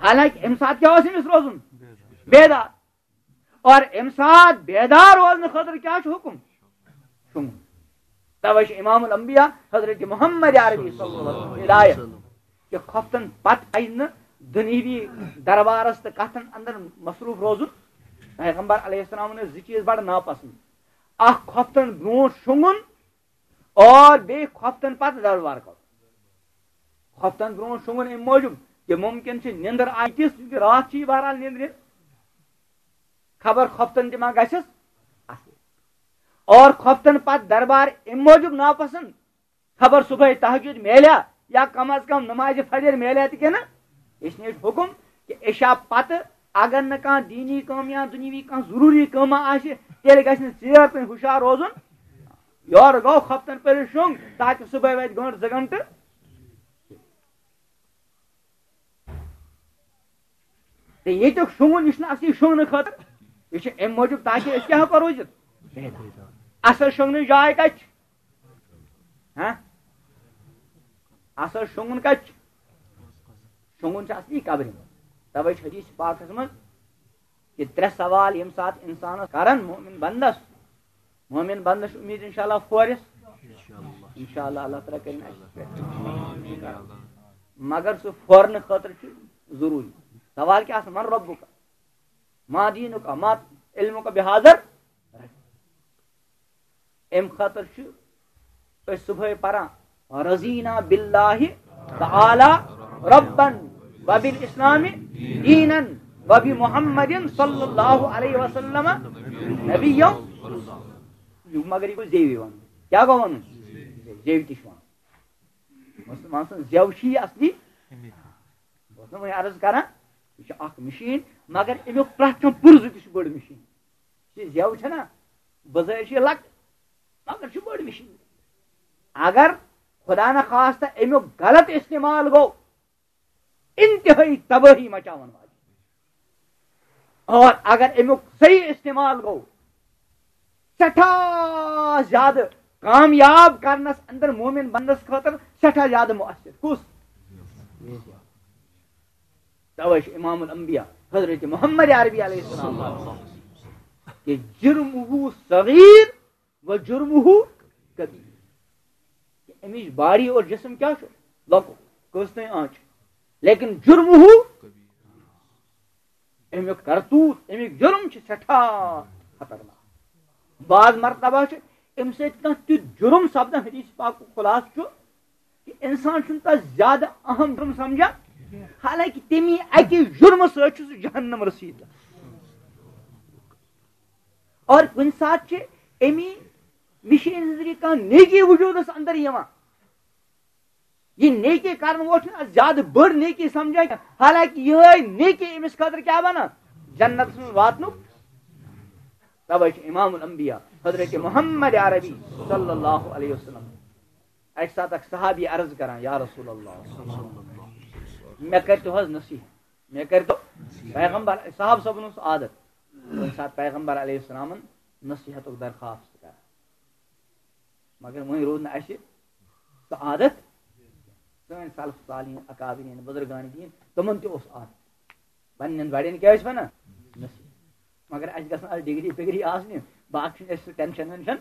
حالانکہ امہِ ساتہٕ کیٛاہ اوس أمِس روزُن؟ بیدار۔ اور امہِ ساتہٕ بیدار روزنہٕ خٲطرٕ کیٛاہ چھُ حُکم؟ شۄنٛگُن۔ توے چھُ امام الانبیاء حضرت محمد عربی صلی اللہ علیہ وسلم ہدایت کہ خۄفتن پتہٕ پزِ نہٕ دُنیاوی دربارس تہٕ کتھن اندر مصروف روزُن۔ پیغمبر علیہ السلامن ٲسۍ زٕ چیٖز بڑٕ ناپسند، اکھ خۄفتن برونٛٹھ شۄنٛگُن اور بیٚیہِ خۄفتن پتہٕ دربار کرُن۔ خۄفتن برونٛٹھ شۄنٛگُن امہِ موٗجوٗب کہ ممکن چھِ نِندٕر آیہِ تِژھ، چونکہ راتھ چھِ یہِ بہرحال نِندرِ، خبر خۄفتن تہِ ما گژھٮ۪س اصل۔ اور خۄفتن پتہٕ دربار امہِ موٗجوٗب ناپسند، خبر صبحٲے تہجد میلیا یا کم از کم نمازِ فجر میلیا تہِ کِنہٕ۔ اس لیے چھُ حُکم کہ عشاء پتہٕ اگر نہٕ کانٛہہ دیٖنی کٲم یا دُنیاوی کانٛہہ ضروٗری کٲمہ آسہِ، تیٚلہِ گژھِ نہٕ ژیر تام ہُشار روزُن۔ یورٕ گوٚو خۄفتن پٔرِو شۄنٛگ، تاکہِ صبحٲے واتہِ گٲنٛٹہٕ زٕ گٲنٛٹہٕ۔ تہٕ ییٚتیُک شۄنٛگُن، یہِ چھُنہٕ اصلی شۄنٛگنہٕ خٲطرٕ، یہِ چھُ اَمہِ موٗجوٗب تاکہِ أسۍ کیٛاہ ہٮ۪کو روٗزِتھ؟ اصل شۄنٛگنٕچ جاے کتہِ چھِ؟ ہاں؟ اصل شۄنٛگُن کتہِ چھُ؟ شۄنٛگُن چھُ اصلی قبرِ منٛز۔ توے چھُ حدیث پاکس منٛز کہ ترٛےٚ سوال ییٚمہِ ساتہٕ انسانس کرن مومن بندس، مومن بندس چھِ امید انشاءاللہ فورس۔ انشاءاللہ اللہ تعالیٰ کرن اسہِ پٮ۪ٹھ۔ مگر سُہ فورنہٕ خٲطرٕ چھُ ضروٗری۔ سوال کیٛاہ آسان؟ من ربک؟ ما دینک؟ ما علمک بہذا؟ امہِ خٲطرٕ چھِ أسۍ صبحٲے پران، رضینا باللہ تعالی ربا وبالاسلام دینا وبمحمد صلی اللہ علیہ وسلم نبیا۔ مگر یہِ گوٚو زیوِ وَنُن۔ کیٛاہ گوٚو وَنُن؟ زیوِ تہِ چھُ وَنُن۔ مُسلمان سٕنٛز زیو چھِ یہِ اصلی۔ بہٕ اوسُس نہٕ وۄنۍ عرض کران، یہِ چھِ اکھ مِشیٖن، مگر اَمیُک پرٛٮ۪تھ کانٛہہ پُرزٕ تہِ چھُ بٔڑ مِشیٖن۔ یہِ زیو چھےٚ نا، بظٲہِر چھِ یہِ لۄکٕٹ، مگر چھِ بٔڑ مِشیٖن۔ اگر خدا نخواستہ اَمیُک غلط استعمال گوٚو، انتہٲئی تبٲہی مچاون واجِنۍ۔ اور اگر اَمیُک صحیح استعمال گوٚو، سٮ۪ٹھاہ زیادٕ کامیاب کرنس اندر مومن بندس خٲطرٕ سٮ۪ٹھاہ زیادٕ مؤثر۔ کُس؟ توے چھُ امام الانبیاء حضرت محمد عربی علیہ السلام کہ جرمہ صغیر و جرمہ کبیر۔ کہ امِچ باڈی اور جسم کیٛاہ چھُ؟ لۄکُٹ، کٔژ تام آنچہِ۔ لیکن جرمہ، امیُک کرتوت، امیُک جرم چھُ سٮ۪ٹھاہ خطرناک۔ بعض مرتبہ چھُ امہِ سۭتۍ کانٛہہ تیُتھ جرم سپدان، حدیث پاکُک خلاصہٕ چھُ کہ انسان چھُنہٕ تَس زیادٕ اہم جرم سمجھان، حالانکہ تمی اکہِ جرمہٕ سۭتۍ چھُ سُہ جہنم رسیدہ۔ اور کُنہِ ساتہٕ چھِ امی مِشیٖن ہٕنٛز ذٔریعہٕ کانٛہہ نیکی وجوٗدس اندر یِوان۔ یہِ نیکی کرن وول چھُنہٕ اَتھ زیادٕ بٔڑ نیکی سمجھان کینٛہہ، حالانکہ یِہوٚے نیکی أمِس خٲطرٕ کیٛاہ بنان؟ جنتس منٛز واتنُک۔ توے چھُ امام الانبیاء حضرت محمد عربی صلی اللہ علیہ وسلم اکہِ ساتہٕ اکھ صحابی عرض کران، یا رسول اللہ، مےٚ کٔرۍتو حظ نصیحت، مےٚ کٔرۍتو۔ پیغمبر صاحب صٲبن اوس عادت کُنہِ ساتہٕ پیغمبر علیہ السلامن نصیحتُک درخواست کران، مگر وۄنۍ روٗد نہٕ اَسہِ سُہ عادت۔ سٲنۍ سلف صالحین، اکابرین، بزرگان دین، تِمن تہِ اوس عادت۔ پننٮ۪ن بڑٮ۪ن کیٛاہ ٲسۍ ونان؟ نصیحت۔ مگر اَسہِ گژھن آز ڈگری پگری آسنہِ، باقٕے چھُنہٕ اَسہِ سُہ ٹینشن وینشن۔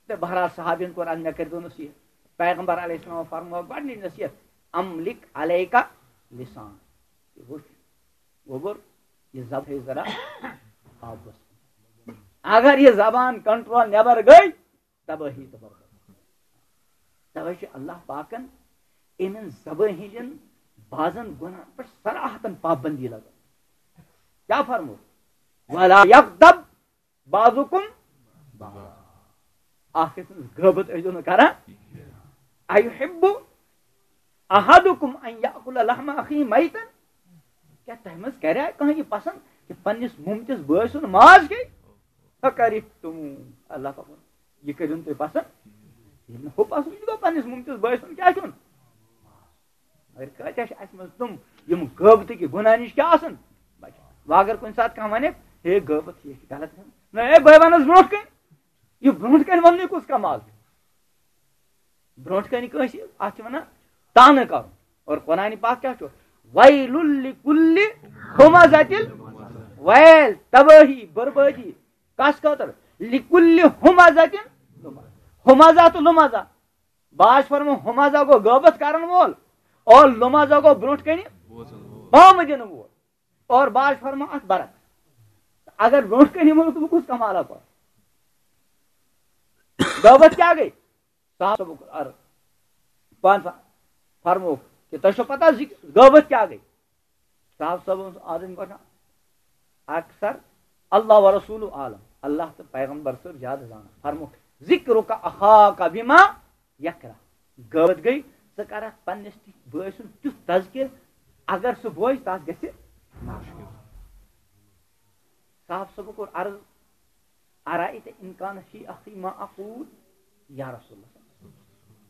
تہٕ بہرحال صحابین کوٚر اَز مےٚ کٔرۍزیو نصیحت۔ پیغمبر علیہ السلام فرموو گۄڈٕنِچ نصیحت، "املک علیک لسان۔" یہِ وٕچھ، گوٚبُر، یہِ زبان تھٲیِو ذرا قابوٗوَس منٛز۔ اگر یہِ زبان کنٹرول نٮ۪بر گٔے، تبٲہی تہٕ بربٲدی۔ توے چھُ اللہ پاکن یِمن زبٲنۍ ہٕنٛدٮ۪ن بعضن گۄناہن پٮ۪ٹھ صراحتن پابندی لگٲومٕژ۔ کیٛاہ فرموو؟ "ولا یغتب بعضکم بعضا۔" اکھ أکۍ سٕنٛز غٲبت ٲسۍزیو نہٕ کران۔ "ایحب احدکم ان یاکل لحم اخیہ میتا؟" کیٛاہ تۄہہِ منٛز کرِ کانٛہہ یہِ پسند کہِ پننِس مُمتِس بٲے سُنٛد ماز کھیٚیہِ؟ فکرہتموہ۔ اللہ پاکن، یہِ کٔرِو نہٕ تُہۍ پسند۔ ییٚلہِ نہٕ ہُہ پسند چھُ، گوٚو پننِس مُمتِس بٲے سُنٛد کیٛاہ کھیوٚن؟ مگر کۭتیٛاہ چھِ اَسہِ منٛز تِم، یِم غٲبتٕکۍ گۄناہ نِش کیٛاہ آسان بچان؟ وۄنۍ اگر کُنہِ ساتہٕ کانٛہہ وَنہِ، "ہے غٲبت، یہِ چھِ غلط کٲم۔" نہ، ہے بٲے وَنس برونٛٹھ کَنہِ، یہِ برونٛٹھ کَنہِ وَننُے کُس کمال چھُ؟ برونٛٹھ کَنہِ کٲنٛسہِ، اَتھ چھِ وَنان طعنہٕ کَرُن۔ اور قرآن پاک کیٛاہ چھُ؟ "ویل لکل ہمزۃ"، ویل، تبٲہی، بربٲدی، کَس خٲطرٕ؟ "لکل ہمزۃ"، ہمزہ تہٕ لمزہ۔ باز فرمو ہمزہ گوٚو غٲبت کرن وول، اور لمزہ گوٚو برونٛٹھ کنہِ بامہٕ دِنہٕ وول، اور باز فرمو اتھ برعکس۔ اگر برونٛٹھ کنہِ یِمو، تہٕ بہٕ کُس کمالہ پاو؟ غٲبت کیٛاہ گٔے؟ صاحب صٲبُک عرض۔ پانہٕ فر-، فرمووُکھ کہِ تۄہہِ چھو پتہ زِ غٲبت کیٛاہ گٔے؟ صاحب صٲب اوس آدم گۄڈٕ اکثر، اللہ و رسول عالم، اللہ تہٕ پیغمبر صٲب زیادٕ زانان۔ فرمووُکھ، "ذکرک اخاک بما یکرہ۔" غٲبت گٔے، ژٕ کرکھ پننِس تہِ بٲے سُنٛد تیُتھ تذکر، اگر سُہ بوزِ، تس گژھِ ناراض۔ صاحب صٲبُن کوٚر عرض، "ارأیت ان کان فی اخی ما اقول یا رسول اللہ؟"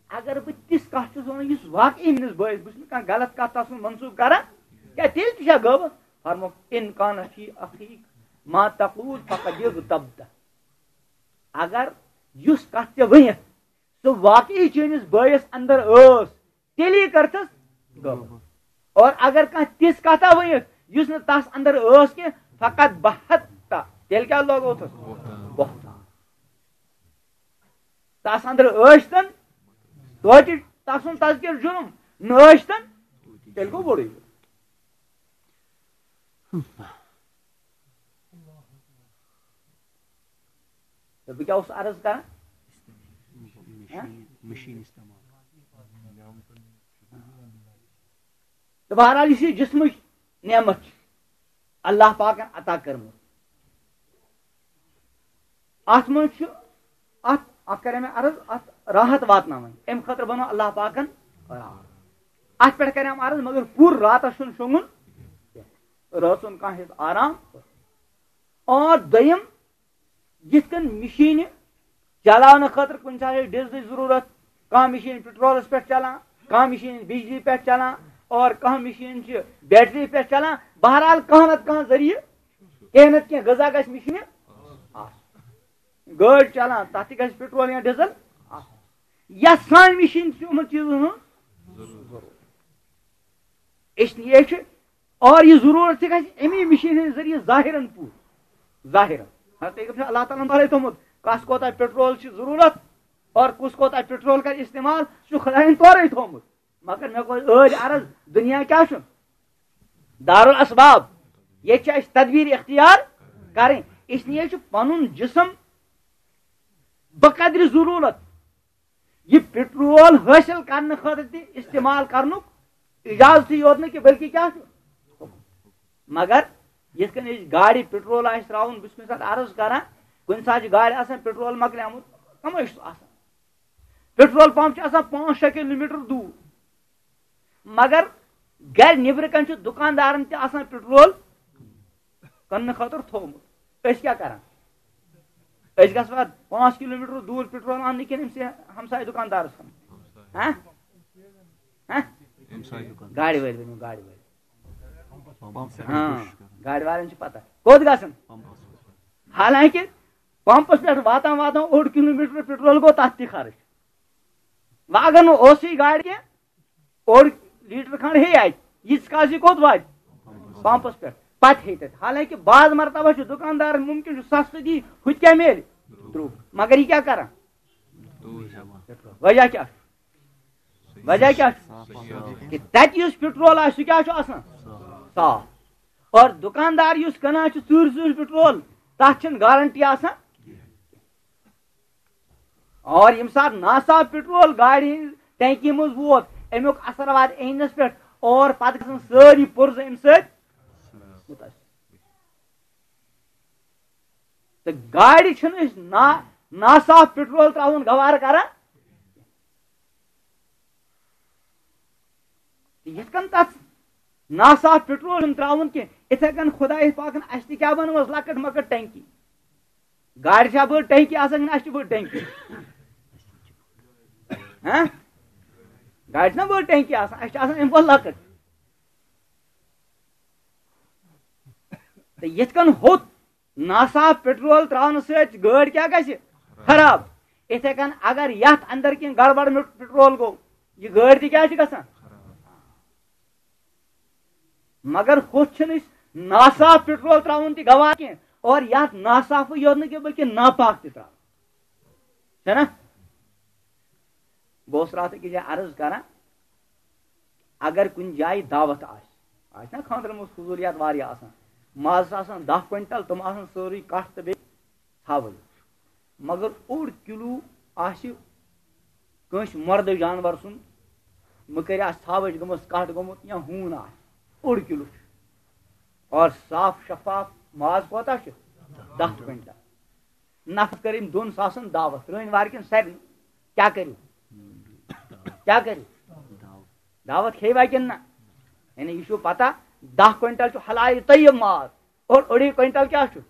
اگر بہٕ تِژھ کتھ چھُس ونان، یُس واقعی میٲنِس بٲیِس، بہٕ چھُس نہٕ کانٛہہ غلط کتھ تس منٛز منسوٗخ کران، کیٛاہ تیٚلہِ تہِ چھا غٲبت؟ فرمووُکھ، "ان کان فی اخیک ما تقول فقد اغتبتہ۔" اگر یُس کتھ ژےٚ ؤنِتھ سُہ واقعی چٲنِس بٲیِس اندر ٲس، تیٚلی کٔرتھس غٲبت۔ اور اگر کانٛہہ تِژھ کتھا ؤنِتھ، یُس نہٕ تس اندر ٲس کینٛہہ، فقط بہت، تیٚلہِ کیٛاہ لوگوتھس؟ بہتان۔ تس اندر ٲسۍتن توتہِ تسُنٛد تذکر جُرم، نہٕ ٲسۍتن تیٚلہِ گوٚو بوٚڑُے۔ تہٕ بہٕ کیٛاہ اوسُس عرض کران؟ مِشیٖن، مِشیٖن استعمال۔ تہٕ بہرحال، یُس یہِ جسمٕچ نعمت چھِ، اللہ پاکن عطا کٔرمٕژ، اتھ منٛز چھُ، اتھ، اتھ کرے مےٚ عرض، اتھ راحت واتناوٕنۍ، امہِ خٲطرٕ بنوو اللہ پاکن راحت۔ اتھ پٮ۪ٹھ کرے مےٚ عرض، مگر پوٗرٕ راتس چھُنہٕ شۄنٛگُن کینٛہہ، رٲژ ہُنٛد کانٛہہ حصہٕ آرام۔ اور دوٚیِم، یِتھ کٔنۍ مِشیٖنہِ چلاونہٕ خٲطرٕ کُنہِ ساتہٕ چھِ ڈیزلٕچ ضروٗرت، کانٛہہ مِشیٖن پیٹرولس پٮ۪ٹھ چلان، کانٛہہ مِشیٖن بجلی پٮ۪ٹھ چلان، اور کانٛہہ مِشیٖن چھِ بیٹری پٮ۪ٹھ چلان۔ بہرحال، کانٛہہ نتہٕ کانٛہہ ذٔریعہٕ، کینٛہہ نتہٕ کینٛہہ غذا گژھِ مِشیٖنہِ آسُن۔ گٲڑۍ چلان، تتھ تہِ گژھِ پیٹرول یا ڈیزل آسُن۔ یتھ سانہِ مِشیٖنہِ چھُ یِمن چیٖزن ہُنٛد ضروٗرت۔ اس لیے چھُ اور یہِ ضروٗرت تہِ گژھِ اَمی مِشیٖن ہٕنٛدِ ذٔریعہٕ ظٲہِرَن پوٗرٕ۔ ظٲہِرَن۔ حضرت پیغمبر چھُ اللہ تعالیٰ ہَن پَرے تھوٚمُت، کَس کوتاہ پیٹرول چھِ ضروٗرت اور کُس کوتاہ پیٹرول کَرِ استعمال، سُہ چھُ خۄدایَن تورَے تھوٚمُت۔ مگر مےٚ کوٚر ٲدۍ عرض، دُنیا کیٛاہ چھُ؟ دارالاسباب۔ ییٚتہِ چھِ اَسہِ تدبیٖر اختیار کَرٕنۍ۔ اس لیے چھُ پَنُن جسم بقدرِ ضروٗرت یہِ پیٹرول حٲصِل کرنہٕ خٲطرٕ تہِ استعمال کرنُک اجازتٕے یوت نہٕ کینٛہہ، بلکہِ کیٛاہ چھُ؟ مگر یِتھ کٔنۍ أسۍ گاڑِ پیٹرول آسہِ ترٛاوُن، بہٕ چھُس کُنہِ ساتہٕ عرض کران، کُنہِ ساتہٕ چھِ گاڑِ آسان پیٹرول مۄکلیومُت، کَمٲے چھُس آسان؟ پیٹرول پمپ چھُ آسان پانٛژھ شےٚ کِلوٗ میٖٹر دوٗر، مگر گرِ نیٚبرٕ کنہِ چھُ دُکاندارن تہِ آسان پیٹرول کٕننہٕ خٲطرٕ تھوٚومُت۔ أسۍ کیٛاہ کران؟ أسۍ گژھوا پانٛژھ کِلوٗ میٖٹر دوٗر پیٹرول اَننہٕ کِنہٕ أمۍ سٕے ہمسایہِ دُکاندارس کُن؟ ہہ؟ ہہ؟ گاڑِ وٲلۍ ؤنِو، گاڑِ وٲلۍ۔ پمپس پٮ۪ٹھ ہاں، گاڑِ والٮ۪ن چھِ پتہ کوٚت گژھن۔ پمپس پٮ۪ٹھ۔ حالانکہِ پمپس پٮ۪ٹھ واتان واتان اوٚڑ کلوٗ میٖٹر پیٹرول گوٚو تتھ تہِ خرٕچ۔ وۄنۍ اگر نہٕ اوسُے گاڑِ کینٛہہ، اوٚڑ لیٖٹر کھنٛڈ ہے اتہِ، ییٖتِس کالس یہِ کوٚت واتہِ؟ پمپس پٮ۪ٹھ۔ پتہٕ ہے تتہِ۔ حالانکہِ بعض مرتبہ چھُ دُکاندار ممکن چھُ سستہٕ دی، ہُتہِ کیٛاہ میلہِ؟ درٛوگ۔ مگر یہِ کیٛاہ کران؟ وجہ کیٛاہ چھُ؟ وجہ کیٛاہ چھُ؟ کہ تتہِ یُس پیٹرول آسہِ، سُہ کیٛاہ چھُ آسان؟ صاف۔ اور دُکاندار یُس کٕنان چھُ ژوٗرِ ژوٗرِ پیٹرول، تتھ چھِنہٕ گارنٹی آسان۔ اور ییٚمہِ ساتہٕ ناصاف پیٹرول گاڑِ ہٕنٛز ٹینکی منٛز ووت، امیُک اثر واتہِ اِنجنس پٮ۪ٹھ اور پتہٕ گژھن سٲری پُرزٕ امہِ سۭتۍ مُتٲثر۔ تہٕ گاڑِ چھِنہٕ أسۍ نا-، ناصاف پیٹرول ترٛاوُن گوارٕ کران۔ تہٕ یِتھ کٔنۍ تَتھ ناصاف پیٹرول چھُنہٕ ترٛاوُن کینٛہہ، یِتھَے کٔنۍ خۄداے پاکَن اَسہِ تہِ کیٛاہ بَنٲومٕژ لۄکٕٹ مۄکٕٹ ٹینکی۔ گاڑِ چھا بٔڑ ٹینکی آسان کِنہٕ اَسہِ چھِ بٔڑ ٹینکی؟ ہہ؟ گاڑِ چھِنہ بٔڑ ٹینکی آسان، اَسہِ چھِ آسان اَمہِ کھۄتہٕ لۄکٕٹ۔ تہٕ یِتھ کٔنۍ ہوٚت ناصاف پیٹرول ترٛاونہٕ سۭتۍ گٲڑۍ کیٛاہ گژھِ؟ خراب۔ یِتھَے کٔنۍ اگر یَتھ اندر کینٛہہ گڑبڑ میوٚٹ پیٹرول گوٚو، یہِ گٲڑۍ تہِ کیٛاہ چھِ گژھان؟ مگر ہوٚتھ چھِنہٕ أسۍ ناصاف پیٹرول ترٛاوُن تہِ گوارٕ کینٛہہ، اور یَتھ ناصافٕے یوت نہٕ کینٛہہ بلکہِ ناپاک تہِ ترٛاوُن۔ چھَنا؟ بہٕ اوسُس راتھ أکِس جایہِ عرض کران، اگر کُنہِ جایہِ دعوت آسہِ، آسہِ نا خانٛدرن منٛز فضوٗلیات واریاہ آسان، مازَس آسان دَہ کوینٹل، تِم آسان سٲرٕے کَٹھ تہٕ بیٚیہِ ژھاوٕج، مگر اوٚڑ کِلوٗ آسہِ کٲنٛسہِ مردٕ جانور سُنٛد، مٔکٕرۍ آسہِ ژھاوٕج گٔمٕژ، کَٹھ گوٚمُت یا ہوٗن آسہِ، اوٚڑ کِلوٗ چھُ۔ اور صاف شفاف ماز کوتاہ چھُ؟ دَہ کوینٹل۔ نفر کٔر أمۍ دۄن ساسن دعوت، رٲنۍ وارِ کِنۍ سارنٕے۔ کیٛاہ کٔرِو؟ کیٛاہ کٔرِو؟ دعوت کھیٚیہِ وا کِنہٕ نہ؟ یعنی یہِ چھُو پتہ، دَہ کوینٹل چھُ حلال طیب ماز، اور اوٚڑُے کوینٹل کیٛاہ چھُ؟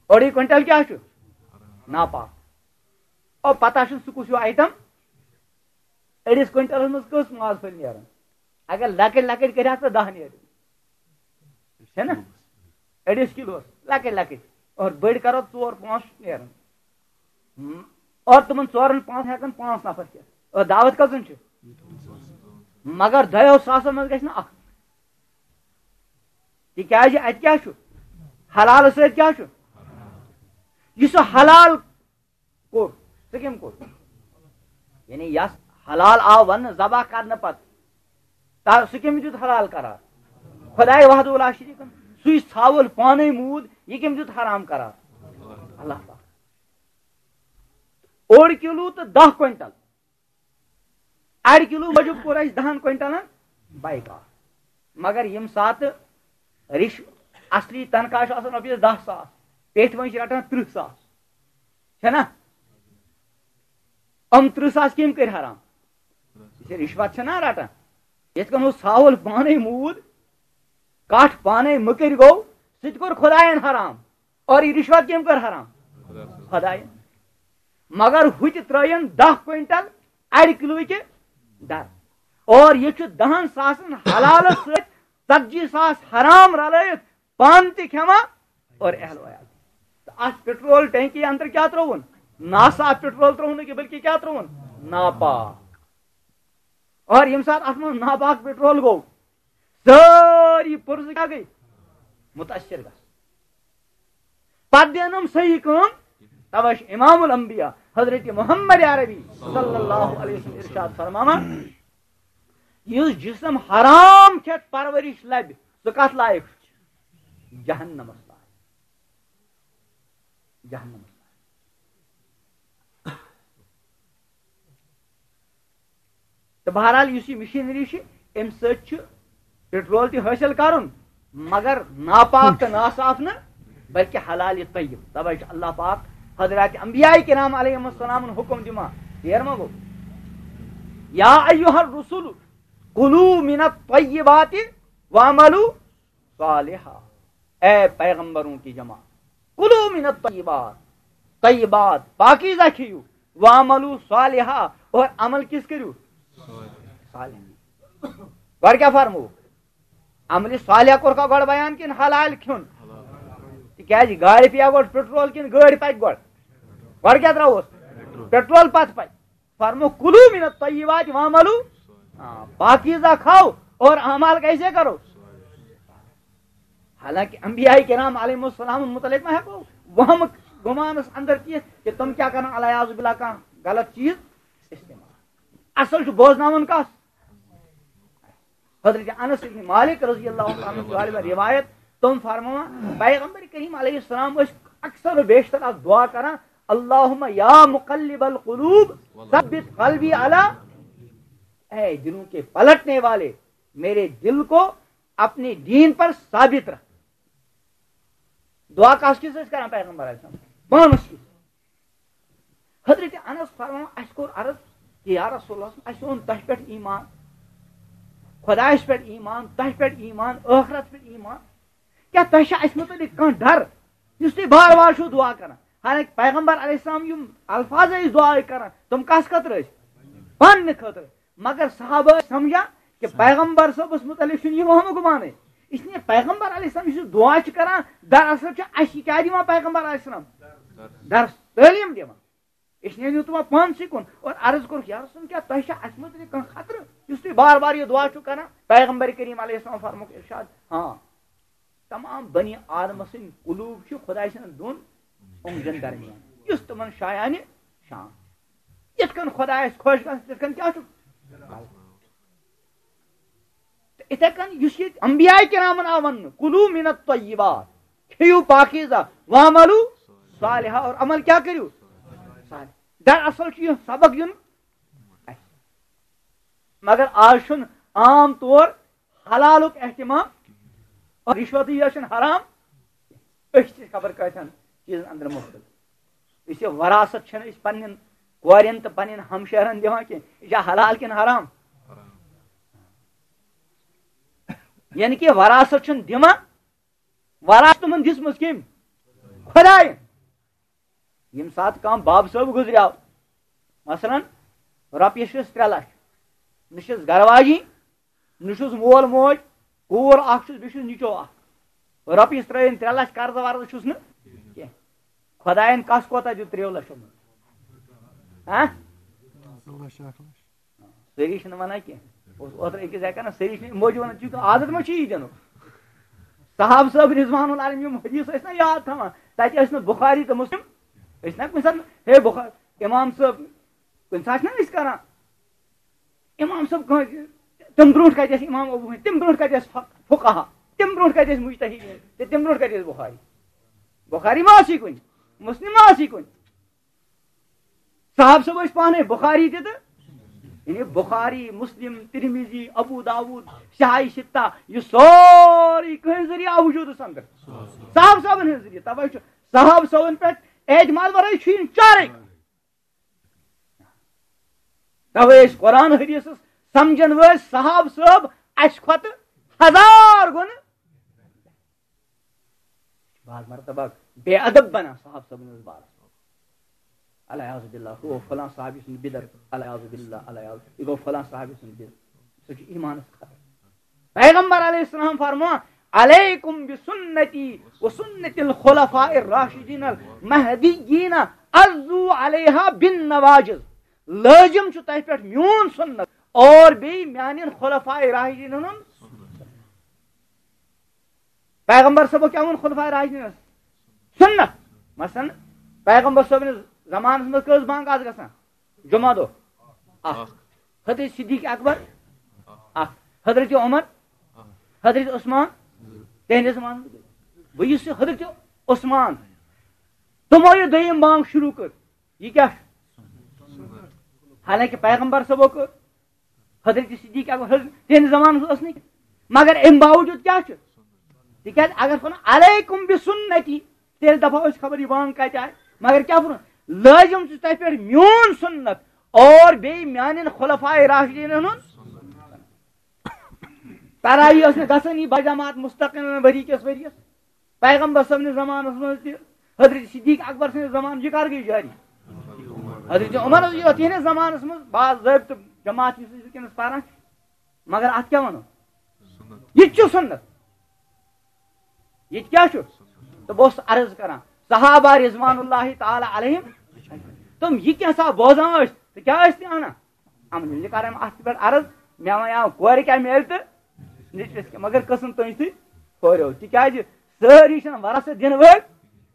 اوٚڑُے کوینٹل کیٛاہ چھُ؟ ناپاک۔ او، پتہ چھُ سُہ کُس ہیوٗ آیٹم؟ أڑِس کوینٹلس منٛز کٔژ ماز پھٔلۍ نیران؟ اگر لۄکٕٹۍ لۄکٕٹۍ کٔرۍ ہَکھ تہٕ دَہ نیرن۔ چھےٚ نا؟ أڑِس کِلوَس لۄکٕٹۍ لۄکٕٹۍ۔ اور بٔڑۍ کَرو ژور پانٛژھ نیران۔ ہم، اور تِمَن ژورَن پانٛژَن ہٮ۪کَن پانٛژھ نفر کھٮ۪تھ۔ اور دعوت کٔژَن چھِ؟ مگر دۄیو ساسَن منٛز گژھِ نہٕ اَکھ۔ تِکیٛازِ اَتہِ کیٛاہ چھُ؟ حلالہٕ سۭتۍ کیٛاہ چھُ؟ یُس سُہ حلال کوٚر، سُہ کٔمۍ کوٚر؟ یعنی یَس حلال آو وَننہٕ ذبح کرنہٕ پتہٕ، تا-، سُہ کٔمۍ دیُت حلال قرار؟ خۄداے وحدہ لا شریٖک۔ سُے ژھاوُل پانَے موٗد، یہِ کٔمۍ دیُت حرام قرار؟ اللہ پاک۔ اوٚڑ کِلوٗ تہٕ دَہ کوینٹل۔ اَڑِ کِلوٗ موٗجوٗب کوٚر اَسہِ دَہَن کوینٹلَن بایکاٹ۔ مگر ییٚمہِ ساتہٕ رِش-، اَصلی تنخواہ چھُ آسان رۄپیَس دَہ ساس، پیٚٹھۍ وۄنۍ چھِ رَٹان تٕرٛہ ساس، چھےٚ نا؟ یِم تٕرٛہ ساس کٔمۍ کٔرۍ حرام؟ یہِ چھِ رِشوت چھےٚ نا رَٹان؟ یِتھ کٔنۍ اوس ژھاوُل پانَے موٗد، کَٹھ پانَے مٔکٕرۍ گوٚو، سُہ تہِ کوٚر خۄدایَن حرام۔ اور یہِ رِشوت کٔمۍ کٔر حرام؟ خۄدایَن۔ مگر ہُتہِ ترٛٲیِن دَہ کوینٹل اَڑِ کِلوٗ کہِ در۔ اور یہِ چھُ دَہَن ساسَن حلالَس سۭتۍ ژَتجی ساس حرام رَلٲیِتھ پانہٕ تہِ کھٮ۪وان اور اہل عیال۔ تہٕ اَتھ پیٹرول ٹینکی اندر کیٛاہ ترٛووُن؟ ناصاف پیٹرول ترٛووُن نہٕ کینٛہہ، بلکہِ کیٛاہ ترٛووُن؟ ناپاک۔ اور ییٚمہِ ساتہٕ اَتھ منٛز ناپاک پیٹرول گوٚو، سٲری پُرزٕ کیٛاہ گٔے؟ مُتٲثِر گژھان۔ پَتہٕ دِنَم صحیح کٲم۔ تَوَے چھُ امام الانبیاء حضرت محمد عربی صلی اللہ علیہ وسلم ارشاد فرماوان، یُس جسم حرام کھٮ۪تھ پرورش لَبہِ، سُہ کَتھ لایق چھُ؟ جہنمَس لایق۔ جہنمَس لایق۔ تہٕ بہرحال، یُس یہِ مِشیٖنری چھِ، اَمہِ سۭتۍ چھُ پیٹرول تہِ حٲصِل کَرُن، مگر ناپاک تہٕ ناصاف نہٕ، بلکہِ حلال طیب۔ تَوَے چھُ اللہ پاک حضرات انبیاء کرام علیہ السلامن حُکم دِوان، ییر ما گوٚو؟ یا ایھا الرسل کلوا من الطیبات واعملوا صالحا۔ اے پیغمبروں کی جماعت، کلوا من الطیبات، طیبات، پاکیزہ کھیٚیِو، واعملوا صالحا، اور عمل کِس کٔرِو؟ صالح۔ گۄڈٕ کیٛاہ فرمووُکھ؟ عملِ صالح کوٚرکھا گۄڈٕ بیان کِنہٕ حلال کھیوٚن؟ تِکیٛازِ گاڑِ پیٚیا گۄڈٕ پیٹرول کِنہٕ گٲڑۍ پکہِ گۄڈٕ؟ گۄڈٕ کیٛاہ ترٛاووس؟ پیٹرول پتہٕ پکہِ۔ فرمو، "کلوا من الطیبات واعملوا"، آ، پاکیزہ کھاؤ اور اعمال کیسے کرو؟ حالانکہ انبیاء کرام علیہم السلام متعلق ما ہیٚکو وہمہٕ گُمانس اندر تہِ یِتھ کہ تِم کیٛاہ کرن، العیاذ باللہ، کانٛہہ غلط چیٖز استعمال؟ اصل چھُ بوزناوُن کس؟ حضرت انس ابن مالک رضی اللہ عنہ عنہ چھُ روایت، تِم فرماوان، پیغمبر کریم علیہ السلام ٲسۍ اکثر و بیشتر اکھ دعا کران، "اللہم یا مقلب القلوب ثبت قلبی علی"، اے دلوں کے پلٹنے والے، میرے دل کو اپنے دین پر ثابت رکھ۔ دعا کس کِژھ ٲسۍ کران پیغمبر علیہ السلام؟ پانس کِژھ؟ حضرت انس فرماوان، اسہِ کوٚر عرض کہ یا رسول اللہ، اسہِ اوٚن تۄہہِ پٮ۪ٹھ ایمان، خدایس پٮ۪ٹھ ایمان، تۄہہِ پٮ۪ٹھ ایمان، ٲخرت پٮ۪ٹھ ایمان، کیٛاہ تۄہہِ چھا اسہِ متعلق کانٛہہ ڈر، یُس تُہۍ بار بار چھِو دعا کران؟ حالانکہ پیغمبر علیہ السلام یِم الفاظ ٲسۍ دعا کران، تِم کس خٲطرٕ ٲسۍ؟ پننہِ خٲطرٕ۔ مگر صحابہ ٲسۍ سمجھان کہ پیغمبر صٲبس متعلق چھُنہٕ یہِ وہمہٕ گُمانٕے۔ اس لیے پیغمبر علیہ السلام یُس یہِ دعا چھِ کران، دراصل چھُ اَسہِ یہِ کیٛاہ دِوان پیغمبر علیہ السلام؟ درس، تعلیٖم دِوان۔ اس لیے نیوٗ تِمو پانسٕے کُن اور عرض کوٚرُکھ، یا رسول، کیٛاہ تۄہہِ چھا اَسہِ مُتعلق کانٛہہ خطرٕ، یُس تُہۍ بار بار یہِ دعا چھِو کران؟ پیغمبر کریم علیہ السلام فرمووُکھ ارشاد، ہاں، تمام بنی آدمہٕ سٕنٛدۍ قلوب چھِ خدایہِ سٕنٛدٮ۪ن دۄن اونٛگجن درمیان، یُس تِمن شایانہِ شان۔ یِتھ کٔنۍ خۄدایَس خۄش گژھِ، تِتھ کٔنۍ کیٛاہ چھُ؟ تہٕ یِتھَے کٔنۍ یُس ییٚتہِ انبیاء کرامن آو وننہٕ، "کلوا من الطیبات"، کھیٚیِو پاکیزہ، "واعملوا صالحا"، اور عمل کیٛاہ کٔرِو؟ صالح۔ دراصل چھُ یہِ سبق دیُن اَسہِ۔ مگر آز چھُنہٕ عام طور حلالُک اہتمام، اور رشوتٕے یٲژ چھَنہٕ حرام، أسۍ چھِ خبر کۭتیٛاہَن چیٖزَن اندر مُبتلا۔ یُس یہِ وراثت چھَنہٕ أسۍ پنٛنٮ۪ن کورٮ۪ن تہٕ پنٛنٮ۪ن ہمشیرَن دِوان کینٛہہ، یہِ چھا حلال کِنہٕ حرام؟ یعنی کہِ وراثت چھُنہٕ دِوان، وراثت تِمَن دِژمٕژ کٔمۍ؟ خۄدایَن۔ ییٚمہِ ساتہٕ کانٛہہ باب صٲب گُزریو، مثلاً، رۄپیہِ چھِس ترٛےٚ لَچھ، نہ چھِس گرٕ واجی، نہ چھُس مول موج، کوٗر اکھ چھُس، بیٚیہِ چھُس نیٚچو اکھ۔ رۄپیہِ چھِس ترٛٲیِن ترٛےٚ لَچھ، قرضہٕ ورضہٕ چھُس نہٕ کینٛہہ۔ خۄدایَن کَس کوتاہ دیُت ترٛیٚیو لَچھو منٛز؟ ہاں؟ لَچھ اَکھ لَچھ۔ سٲری چھِنہٕ وَنان کینٛہہ۔ اوس اوترٕ أکِس جایہِ کَران، سٲری چھِنہٕ موجوٗد وَنان، چونکہ عادت ما چھُ یہِ دِنُک۔ صحابہٕ صٲب رضوان العالم یِم حدیث ٲسۍ نہ یاد تھاوان، تَتہِ ٲسۍ نہٕ بُخاری تہٕ مُسلِم، ٲسۍ نہ کُنہِ ساتہٕ، ہے بُخا-، اِمام صٲب، کُنہِ ساتہٕ چھِنہ أسۍ کَران، اِمام صٲب کٲنٛسہِ، تَمہِ برونٛٹھ کَتہِ ٲسۍ اِمام ابو حنیفہ، تَمہِ برونٛٹھ کَتہِ ٲسۍ فق-، فقہا، تَمہِ برونٛٹھ کَتہِ ٲسۍ مُجتہدیٖن، تہٕ تَمہِ برونٛٹھ کَتہِ ٲسۍ بُخاری؟ بُخاری ما ٲسی کُنہِ، مُسلِم ما ٲسی کُنہِ؟ صاحب صٲب ٲسۍ پانَے بُخاری تہِ تہٕ، یعنی بُخاری، مُسلِم، تِرمِذی، ابو داوٗد، شاہی شِتہ، یہِ سورُے کٕہٕنٛدِ ذٔریعہٕ آو وجوٗدَس اندر؟ صاحب صٲبَن ہٕنٛدِ ذٔریعہٕ۔ تَوَے چھُ صاحب صٲبَن پٮ۪ٹھ اعتماد وَرٲے چھُ یہِ چارٕے۔ تَوَے ٲسۍ قرآن حدیثس سمجھن وٲلۍ صاحب صٲب اَسہِ کھۄتہٕ ہزار گُنہٕ۔ بعض مرتبہ بے ادب بنان صاحب صٲبن ہٕنٛدِس بارس منٛز۔ العیاذ باللہ، ہُہ گوٚو فلاں صحابی سُنٛد بدر، العیاذ باللہ، العیاذ، یہِ گوٚو فلاں صحابی سُنٛد بدر۔ سُہ چھُ ایمانس خطرٕ۔ پیغمبر علیہ السلام فرموو، "علیکم بسنتی و سنت الخلفاء الراشدین المہدیین، عضو علیہا بالنواجذ"۔ لٲزم چھُ تۄہہِ پٮ۪ٹھ میون سُنت اور بیٚیہِ میانٮ۪ن خلفاء راشدینن ہُنٛد۔ پیغمبر صٲبو کیٛاہ ووٚن خلفاء راشدینس؟ سُنت۔ مثلاً، پیغمبر صٲبنِس زمانس منٛز کٔژ بانٛگ آسہٕ گژھان؟ جمعہ دۄہ اکھ۔ حضرت صدیق اکبر اکھ۔ حضرت عمر، حضرت عثمان، تِہنٛدِ زمانہٕ۔ وۄنۍ یُس یہِ حضرت عثمان، تِمو یہِ دوٚیِم بانٛگ شروع کٔر، یہِ کیٛاہ چھُ؟ حالانکہ پیغمبر صٲبو کٔر، حضرت صدیق اکبر، حضرت، تِہنٛدِ زمانہٕ منٛز ٲس نہٕ کینٛہہ۔ مگر امہِ باوجوٗد کیٛاہ چھُ؟ تِکیٛازِ اگر وَنو، "علیکم بسنتی"، تیٚلہِ دَپو أسۍ، خبر یہِ بانٛگ کَتہِ آیہِ۔ مگر کیٛاہ ووٚنُن؟ لٲزِم چھُ تۄہہِ پٮ۪ٹھ میون سُنت اور بیٚیہِ میانٮ۪ن خلفاء راشدیٖنَن ہُنٛد۔ تراویح ٲس نہٕ گژھٲنی بجماعت مستقل ؤری کِس ؤریَس۔ پیغمبر صٲبنِس زمانَس منٛز تہِ، حضرت صدیق اکبر سٕنٛدِس زمانَس، یہِ کر گٔے جٲری؟ حضرت عمر رضی اللہ، تِہنٛدِس زمانَس منٛز باضٲبطہٕ جماعت یُس أسۍ وٕنکیٚنَس پَران چھِ۔ مگر اَتھ کیٛاہ وَنو؟ یہِ تہِ چھُ سُنت۔ یہِ تہِ کیٛاہ چھُ؟ تہٕ بہٕ اوسُس عرض کران، صحابہ رضوان اللہ تعالیٰ علیہم، تِم یہِ کینٛژھا بوزان ٲسۍ، تہٕ کیٛاہ ٲسۍ تہِ اَنان؟ عمل۔ یہِ کران اَتھ پٮ۪ٹھ عرض، مےٚ وَنیٛاو کورِ کیٛاہ میلہِ تہٕ نیٚچوِس کیٛاہ، مگر قٕسم تُہنٛدِ سۭتۍ ہورٕ۔ تِکیٛازِ سٲری چھِنہٕ وَرثہٕ دِنہٕ وٲلۍ،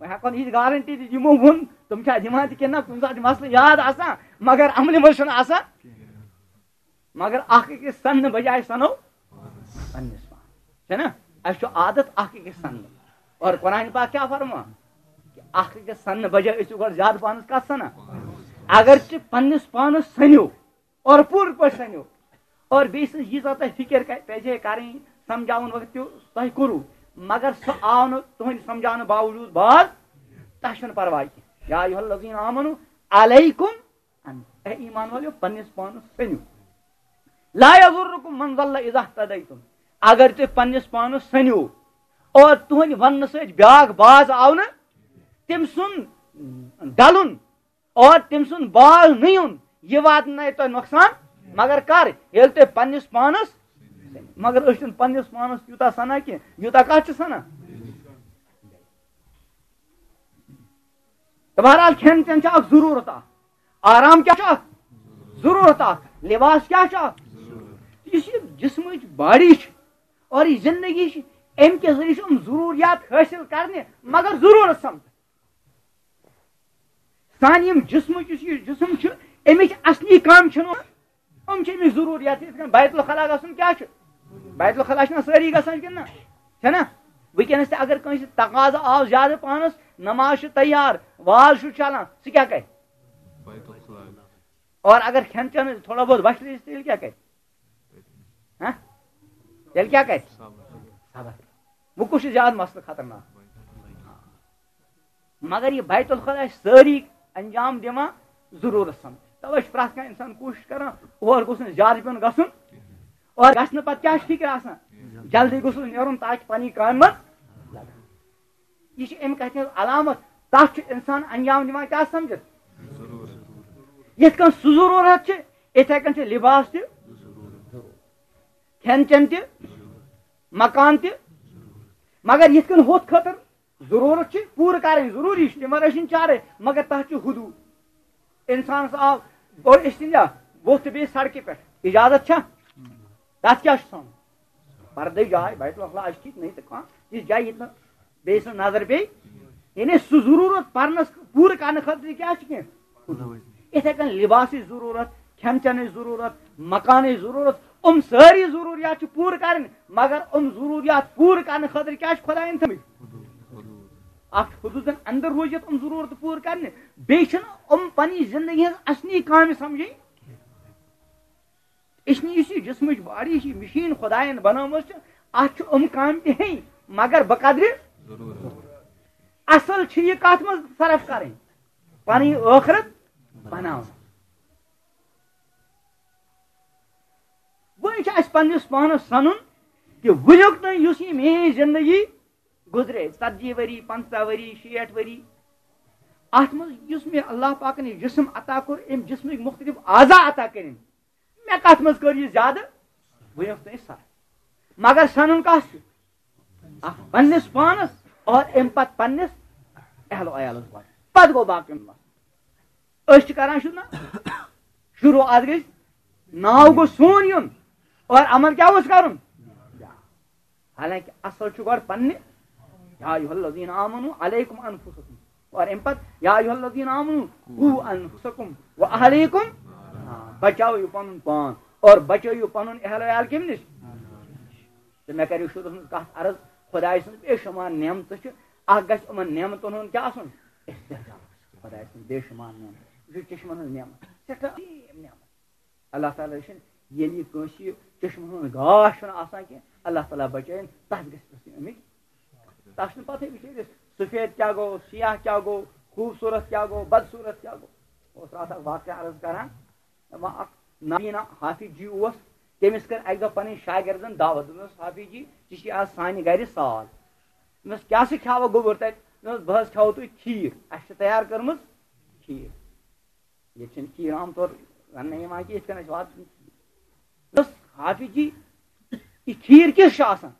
وۄنۍ ہٮ۪کو نہٕ یہِ گارنٹی دِتھ، یِمو ووٚن، تِم چھا دِوان تہِ کِنہٕ نہ، کُنہِ ساتہٕ چھُ مسلہٕ یاد آسان، مگر عملہِ منٛز چھُنہٕ آسان۔ مگر اکھ أکِس سننہٕ بجایہِ سنو پننِس پانس۔ چھےٚ نا؟ اَسہِ چھُ عادت اکھ أکِس سننُک۔ اور قرآن پاک کیٛاہ فرمان؟ کہ اکھ أکِس سننہٕ بجایہِ ٲسِو گۄڈٕ زیادٕ پانس کتھ سنان۔ اگرچہِ پننِس پانس سنِو اور پوٗرٕ پٲٹھۍ سنِو، اور بیٚیہِ سٕنٛز ییٖژاہ تۄہہِ فکر کر-، پزِ ہے کرٕنۍ، سمجھاوُن وقت تہِ تۄہہِ کوٚروٕ، مگر سُہ آو نہٕ تُہنٛدِ سمجھاونہٕ باوجود باز تۄہہِ چھُنہٕ پرواے کینٛہہ۔ یا ایھا الذین آمنو علیکم ان، اے ایمان والو، پننِس پانس سٔنِو۔ لا یضرکم من ضل اذا اہتدیتم، اگر تُہۍ پننِس پانس سٔنِو اور تُہنٛدِ وننہٕ سۭتۍ بیاکھ باز آو نہٕ، تٔمۍ سُنٛد ڈلُن اور تٔمۍ سُنٛد باز نہٕ یُن، یہِ واتنایہِ تۄہہِ نۄقصان۔ مگر کر؟ ییٚلہِ تُہۍ پننِس پانس، مگر أسۍ چھِنہٕ پننِس پانس یوٗتاہ سنان کینٛہہ، یوٗتاہ کتھ چھِ سنان۔ تہٕ بہرحال، کھٮ۪ن چٮ۪ن چھُ اکھ ضروٗرت اکھ، آرام کیٛاہ چھُ اکھ ضروٗرت اکھ، لباس کیٛاہ چھُ اکھ۔ یُس یہِ جسمٕچ باڈی چھِ اور یہِ زندگی چھِ، امہِ کہِ ذٔریعہٕ چھِ یِم ضروٗریات حٲصِل کرنہِ، مگر ضروٗرت سمجھ۔ سانہِ یِم جسمٕچ، یُس یہِ جسم چھُ، امِچ اصلی کامہِ چھُنہٕ یِم چھِ أمِس ضروٗریات، یِتھ کٔنۍ بیت الخلا گژھُن کیٛاہ چھُ؟ بیت الخلا چھِنہ سٲری گژھان کِنہٕ نہ؟ چھےٚ نہ؟ وٕنکیٚنَس تہِ اگر کٲنٛسہِ تقاضہٕ آو زیادٕ پانَس، نماز چھِ تیار، واز چھُ چلان، سُہ کیٛاہ کرِ؟ بیت الخلا۔ اور اگر کھٮ۪ن چٮ۪ن تھوڑا بہت وَشلہِ، تیٚلہِ کیٛاہ کرِ؟ ہہ؟ تیٚلہِ کیٛاہ کرِ؟ صبر۔ وۄنۍ کُس چھُ زیادٕ مسلہٕ خطرناک؟ مگر یہِ بیت الخلا چھِ سٲری انجام دِوان ضروٗرت سمجھ۔ توے چھُ پرٛٮ۪تھ کانٛہہ انسان کوٗشِش کران، اور گوٚژھ نہٕ زیادٕ پیوٚن گژھُن، اور گژھِ نہٕ پتہٕ کیٛاہ چھُ فکر آسان؟ جلدی گوٚژھ نہٕ نیرُن تاکہِ پنٕنۍ کامہِ منٛز لگن۔ یہِ چھِ امہِ کتھِ ہٕنٛز علامت، تتھ چھُ انسان انجام دِوان کیٛاہ سمجھِتھ؟ یِتھ کٔنۍ سُہ ضروٗرت چھِ، یِتھے کٔنۍ چھِ لباس تہِ، کھٮ۪ن چٮ۪ن تہِ، مکان تہِ، مگر یِتھ کٔنۍ ہُتھ خٲطرٕ ضروٗرت چھِ پوٗرٕ کرٕنۍ، ضروٗری چھِ، تِمن ٲسِن چارے، مگر تتھ چھُ حدوٗد۔ انسانس آو، اور أسۍ تہِ ووٚتھ تہٕ بیٚیہِ سڑکہِ پٮ۪ٹھ، اجازت چھا؟ تتھ کیٛاہ چھُ تھاوُن؟ پردٕچ جاے، بیت الخلا چھِ ٹھیٖک، نہ تہٕ کانٛہہ تِژھ جاے ییٚتہِ نہٕ بیٚیہِ سٕنٛز نظر پیٚیہِ۔ یعنی سُہ ضروٗرت پرنس پوٗرٕ کرنہٕ خٲطرٕ کیٛاہ چھُ کینٛہہ؟ یِتھے کٔنۍ لباسٕچ ضروٗرت، کھٮ۪ن چٮ۪نٕچ ضروٗرت، مکانٕچ ضروٗرت، یِم سٲری ضروٗریات چھِ پوٗرٕ کرٕنۍ، مگر یِم ضروٗریات پوٗرٕ کرنہٕ خٲطرٕ کیٛاہ چھِ خۄدایَن تھٲومٕتۍ؟ اکھ چھُ حدوٗدن اندر روٗزِتھ یِم ضروٗرتہٕ پوٗرٕ کرنہِ، بیٚیہِ چھِنہٕ یِم پننہِ زندگی ہٕنٛز اصلی کامہِ سمجھٕنۍ۔ أسۍ نہٕ یُس یہِ جسمٕچ باڈی چھِ، مِشیٖن خۄدایَن بنٲومٕژ چھِ، اَتھ چھِ یِم کامہِ تہِ ہیٚنۍ، مگر بقدرِ ضروٗرت۔ اصل چھِ یہِ کتھ منٛز صرف کرٕنۍ؟ پنٕنۍ ٲخرت بناوٕنۍ۔ وۄنۍ چھُ اَسہِ پننِس پانس سنُن کہِ وٕنیُک تام یُس یہِ میٲنۍ زندگی گُزرے، ژتجی ؤری، پنٛژاہ ؤری، شیٹھ ؤری، اتھ منٛز یُس مےٚ اللہ پاکن یہِ جسم عطا کوٚر، امہِ جسمٕکۍ مختلف اعضا عطا کٔرِم، مےٚ کتھ منٛز کٔر یہِ زیادٕ؟ بہٕ یۄس تۄہہِ سر۔ مگر سنُن کس چھُ؟ اکھ پننِس پانس اور امہِ پتہٕ پننِس اہل و عیالس پتہٕ، پتہٕ گوٚو باقین مسلہٕ۔ أسۍ چھِ کران شروٗع نا؟ شروٗع اتھ گٔے ناو گوٚو سون یُن اور عمل کیٛاہ اوس کرُن؟ حالانکہ اصل چھُ گۄڈٕ پننہِ، یا ایھا الذین آمنو علیکم انفسکم، اور امہِ پتہٕ یا ایھا الذین آمنو قو انفسکم و اہلیکم۔ آ، بچاوِو پنُن پان اور بچٲیِو پنُن اہل عیال کمہِ نِش؟ تہٕ مےٚ کریو شروٗعس منٛز کتھ عرض، خۄداے سٕنٛز بے شمار نعمتہٕ چھِ، اکھ گژھِ یِمن نعمتن ہُنٛد کیٛاہ آسُن؟ استحضار۔ خۄداے سٕنٛز بے شمار نعمت، یہِ چھُ چشمن ہٕنٛز نعمت، سٮ۪ٹھاہ عظیٖم نعمت۔ اللہ تعالیٰ چھُنہٕ ییٚلہِ یہِ کٲنٛسہِ یہِ چشمہٕ ہُنٛد گاش چھُنہٕ آسان کینٛہہ، اللہ تعالیٰ بچٲیِن، تَس گژھِ پرٛژھٕنۍ اَمِچ۔ تَس چھُنہٕ پَتہٕے بِچٲرِس سفید کیٛاہ گوٚو، سیاہ کیٛاہ گوٚو، خوٗبصوٗرت کیٛاہ گوٚو، بدصوٗرت کیٛاہ گوٚو۔ اوس راتھ اَکھ واقعہ عرض کران، دَپان اَکھ نابینا حافظ جی اوس، تٔمِس کٔر اَکہِ دۄہ پَنٕنۍ شاگردَن دعوت، دوٚپنَس، "حافظ جی، ژٕ چھِ آز سانہِ گَرِ سال۔" دوٚپنَس، "کیٛاہ سا کھیٛاوَکھ گوٚبُر تَتہِ؟" دوٚپنَس، "بہٕ حظ کھیٛاوَو تُہۍ کھیٖر، اَسہِ چھِ تیار کٔرمٕژ کھیٖر۔" ییٚتہِ چھِنہٕ کھیٖر عام طور رَننہٕ یِوان کینٛہہ، یِتھ کٔنۍ اَسہِ واتان۔ دوٚپمَس، "حافظ جی، یہِ کھیٖر کِژھ چھِ آسان؟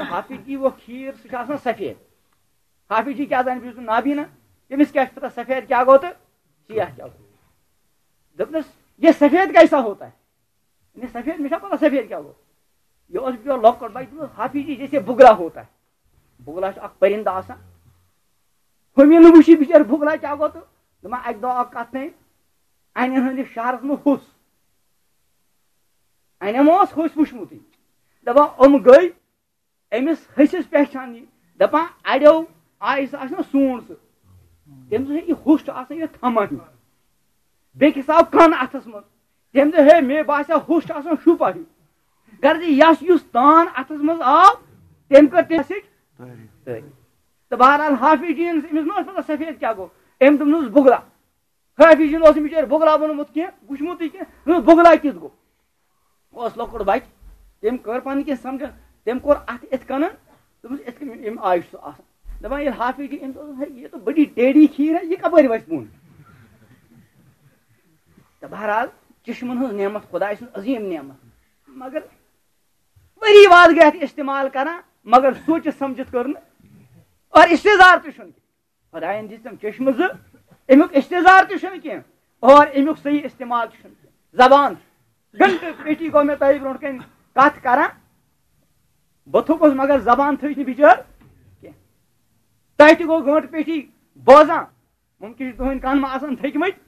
حافظ جی، وہ کھیٖر، سُہ چھُ آسان سفید۔ حافظ جی کیٛاہ زانہِ، بہٕ چھُس نہٕ نابیٖنا، تٔمِس کیٛاہ چھُ پتہ سفید کیٛاہ گوٚو تہٕ سیاہ کیٛاہ گوٚو؟ دوٚپنَس، "یہ سفید کیسا ہوتا ہے؟" یعنی سفید، مےٚ چھا پتہ سفید کیٛاہ گوٚو؟ یہِ اوس بِچور لۄکُٹ بچہٕ، دوٚپنَس، "حافظ جی، جیسے بُگلا ہوتا ہے۔" بُگلا چھُ اکھ پٔرِندٕ آسان۔ ہُمہِ نہٕ وٕچھ یہِ بِچٲرۍ بُگلا کیٛاہ گوٚو تہٕ دَپان، اَکہِ دۄہ آو کَتھٕے، اَنٮ۪ن ہٕنٛدِس شہرَس منٛز ہوٚس۔ اَنٮ۪ن ما اوس ہوٚس وٕچھمُتٕے؟ دَپان، یِم گٔے أمِس ۂسِس پہچان یہِ۔ دَپان، اَڑیو آیہِ سُہ آسہِ نا سونٛڈ سُہ۔ تٔمۍ دوٚپ، "ہے، یہِ ہوٚس چھُ آسان یہِ تھَمبا ہیوٗ۔" بیٚکِس آو کَن اَتھَس منٛز۔ تٔمۍ دوٚپ، "ہے، مےٚ باسیٛو ہوٚس چھُ آسان شُپا ہیوٗ۔" غرض یَس یُس تان اَتھَس منٛز آو، تٔمۍ کٔر تٔمۍ سۭتۍ تعریٖف۔ تہٕ بہرحال حافظ جی یَن أمِس ما ٲس پَتہ سفید کیٛاہ گوٚو؟ أمۍ دوٚپنَس، "بُگلا۔" حافظ جی یَن اوس أمِس بِچٲرۍ بُگلا ووٚنمُت کینٛہہ، وٕچھمُتٕے کینٛہہ، دوٚپنَس، "بُگلا کیُتھ گوٚو؟" اوس لۄکُٹ بچہٕ، تٔمۍ کٔر پنٕنۍ کِنۍ سمجھن، تٔمۍ کوٚر اتھ یِتھ کٔنن، دوٚپمَس، "یِتھ کٔنۍ یِم آیہِ چھُ سُہ آسان۔" دَپان، ییٚلہِ حافظ جی أمۍ دوٚپ، "ہے، یہ تو بڑی ٹیڑھی کھیٖر ہے، یہ کب آیہِ وَسہِ بۄن؟" تہٕ بہرحال، چشمن ہٕنٛز نعمت، خداے سٕنٛز عظیٖم نعمت، مگر ؤری واد گٔے اتھ استعمال کران، مگر سوٗنٛچِتھ سمجھِتھ کٔر نہٕ، اور استظہار تہِ چھُنہٕ۔ خدایَن دِژ تِم چشمہٕ زٕ، اَمیُک استظہار تہِ چھُنہٕ کینٛہہ اور اَمیُک صحیح استعمال تہِ چھُنہٕ کینٛہہ۔ زبان چھُ۔ گھنٹہٕ پیٹھی گوٚو مےٚ تۄہہِ برونٛٹھ کَنہِ کَتھ کران۔ بہٕ تھوٚکُس، مگر زبان تھٔج نہٕ بِچٲر کینٛہہ۔ تۄہہِ تہِ گوٚو گھنٹہٕ پیٹھی بوزان۔ مُمکِن چھُ تُہٕنٛدۍ کَن ما آسَن تھٔکۍمٕتۍ۔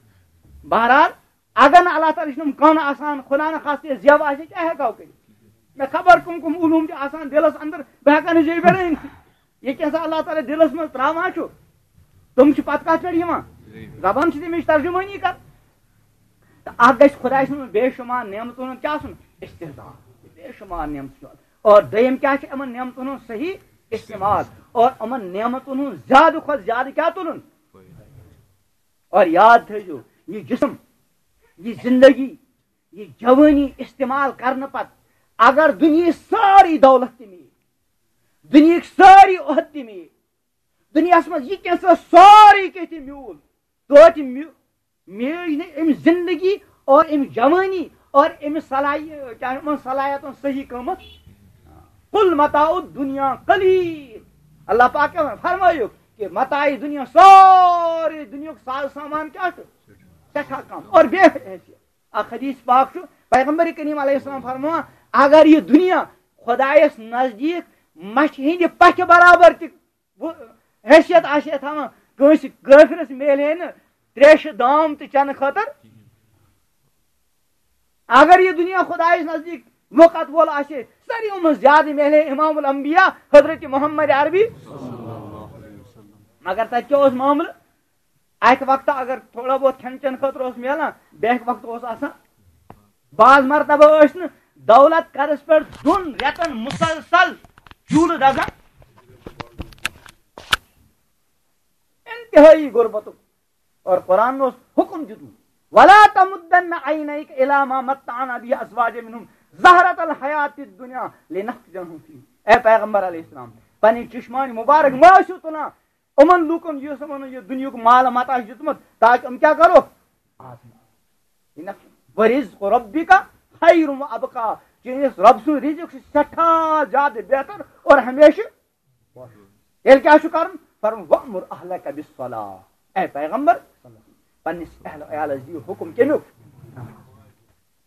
بہرحال، اگر نہٕ اللہ تعالیٰ چھُنہٕ کَن آسان، خدا نہ خاصہ زٮ۪و آسہِ، کیٛاہ ہٮ۪کو کٔرِتھ؟ مےٚ خبر کٕم کٕم علوٗم چھِ آسان دِلَس اندر، بہٕ ہٮ۪کہٕ نہٕ زیٚوِ بیرٲنۍ۔ یہِ کینٛہہ سا اللہ تعالیٰ دِلَس منٛز ترٛاوان چھُ، تِم چھِ پَتہٕ کَتھ پٮ۪ٹھ یِوان؟ زبان چھِ تَمِچ ترجمٲنی کَران۔ تہٕ اَکھ گژھِ خۄداے سٕنٛز بے شُمار نعمتَن ہُنٛد کیٛاہ آسُن؟ استحضار۔ بے شُمار نعمتہٕ چھُ۔ اور دوٚیِم کیٛاہ چھِ؟ یِمَن نعمتَن ہُنٛد صحیح استعمال۔ اور یِمَن نعمتَن ہُنٛد زیادٕ کھۄتہٕ زیادٕ کیٛاہ تُلُن؟ اور یاد تھٲیزیو، یہِ جسم، یہِ زندگی، یہِ جوٲنی استعمال کرنہٕ پتہٕ اگر دُنیہٕچ سٲرٕے دولت تہِ میلہِ، دُنیہٕکۍ سٲری عہد تہِ میلہِ، دُنیاہس منٛز یہِ کینٛہہ سا سورُے کینٛہہ تہِ میوٗل، توتہِ میو-، میج نہٕ أمۍ زندگی اور أمۍ جوٲنی اور أمۍ صلاحی-، کیٛاہ یِمن صلاحیتن صحیح قۭمت۔ قل متاع الدنیا قلیل۔ اللہ پاک کیٛاہ فرمٲیُکھ کہ متاع دنیا، سورُے دُنیاہُک ساز سامان کیٛاہ چھُ؟ سٮ۪ٹھاہ کم اور بے حیثیت۔ اکھ حدیث پاک چھُ، پیغمبر کریم علیہ السلام فرماوان، اگر یہِ دُنیا خۄدایس نزدیٖک مچھِ ہٕنٛدِ پکھِ برابر تہِ وُ-، حیثیت آسہِ ہے تھاوان، کٲنٛسہِ کٲفرس میلہِ ہے نہٕ تریشہِ دام تہِ چٮ۪نہٕ خٲطرٕ۔ اگر یہِ دُنیا خۄدایس نزدیٖک وقت وول آسہِ ہے، ساروِیو منٛز زیادٕ میلہِ ہے امام الانبیاء حضرت محمد عربی۔ مگر تتہِ کیٛاہ اوس معاملہٕ؟ اکہِ وقتہٕ اگر تھوڑا بہت کھٮ۪ن چٮ۪ن خٲطرٕ اوس میلان، بیٛاکہِ وقتہٕ اوس آسان۔ بعض مرتبہ ٲسۍ نہٕ دولت قرض پٮ۪ٹھ دۄن رٮ۪تن مسلسل چوٗلہٕ دزان۔ انتہٲئی غربتُک۔ اور قرآن اوس حکم دیُتمُت، "ولا تمدن عینیک الی ما متعنا به ازواجا منهم زہرۃ الحیات الدنیا لنفتنہم فیہ۔" اے پیغمبر علیہ السلام، پنٕنۍ چشمانی مبارک مہ ٲسِو تُلان یِمن لوٗکن، یُس یِمن یہِ دُنیاہُک مال متاع چھُ دیُتمُت، تاکہ یِم کیٛاہ کرو؟ ورزق ربک خیر و ابقا، چٲنِس رب سُنٛد رزق چھُ سٮ۪ٹھاہ زیادٕ بہتر اور ہمیشہٕ۔ تیٚلہِ کیٛاہ چھُ کرُن؟ فرموو، "وأمر أهلك بالصلاة"، اے پیغمبر، پننِس اہل عیالس دِیِو حکم کمیُک۔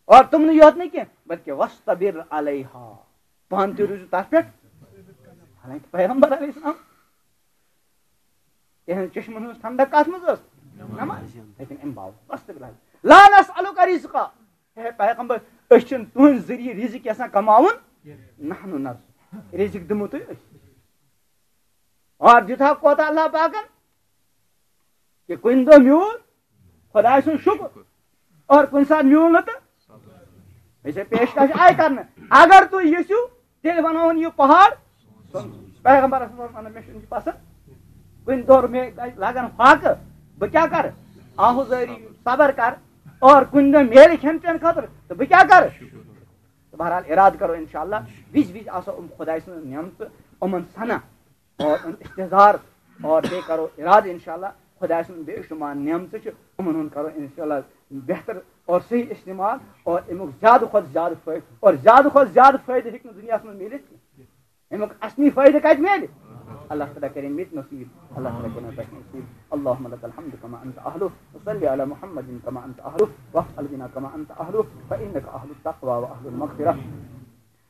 اور تِمنٕے یوت نہٕ کینٛہہ، بلکہ "واصطبر عليها"، پانہٕ تہِ روٗزِو تتھ پٮ۪ٹھ۔ حالانکہ پیغمبر علیہ السلام، تِہنٛز چشمن ہٕنٛز ٹھنڈک کتھ منٛز ٲس؟ نماز۔ لیکن امہِ باوجود، "واصطبر عليها، لا نسألك رزقا"، ہے پیغمبر، أسۍ چھِنہٕ تُہنٛدِ ذٔریعہٕ رزق یژھان کماوُن، "نحن نرزق"، رزق دِمو تُہۍ أسۍ۔ اور دیُت ہا کوتاہ اللہ پاکن؟ کہ کُنہِ دۄہ میوٗل خۄداے سُنٛد شُکُر، اور کُنہِ ساتہٕ میوٗل نہٕ تہٕ أسۍ ہے پیشکش آیہِ کرنہٕ۔ اگر تُہۍ یژھِو، تیٚلہِ بناوُن یہِ پہاڑ۔ پیغمبرس اوس ونان، "مےٚ چھُنہٕ یہِ پسند۔ کُنہِ دۄہ مےٚ لگن فاقہٕ، بہٕ کیٛاہ کرٕ؟ آہوزٲری، صبر کر، اور کُنہِ دۄہ میلہِ کھٮ۪ن چٮ۪ن خٲطرٕ، تہٕ بہٕ کیٛاہ کرٕ؟" تہٕ بہرحال، ارادٕ کرو انشاءاللہ، وِزِ وِزِ آسو یِم خۄداے سٕنٛز نعمتہٕ یِمن سنان۔ اور استحضار، اور بیٚیہِ کرو ارادٕ انشاءاللہ، خۄداے سُنٛد بے شُمار نعمتہٕ چھِ، یِمن ہُنٛد کرو انشاءاللہ بہتر اور صحیح استعمال اور اَمیُک زیادٕ کھۄتہٕ زیادٕ فٲیدٕ، اور زیادٕ کھۄتہٕ زیادٕ فٲیدٕ ہیٚکہِ نہٕ دُنیاہَس منٛز میٖلِتھ کینٛہہ۔ اَمیُک اَصلی فٲیدٕ کَتہِ میلہِ؟ اللہ تعالیٰ کَرِ مےٚ تہِ نصیٖب، اللہ تعالیٰ کَرِ مےٚ تۄہہِ نصیٖب۔ اللهم لك الحمد كما أنت أهله، وصل على محمد كما أنت أهله، وافعل بنا كما أنت أهله، فإنك أهل التقوى وأهل المغفرة۔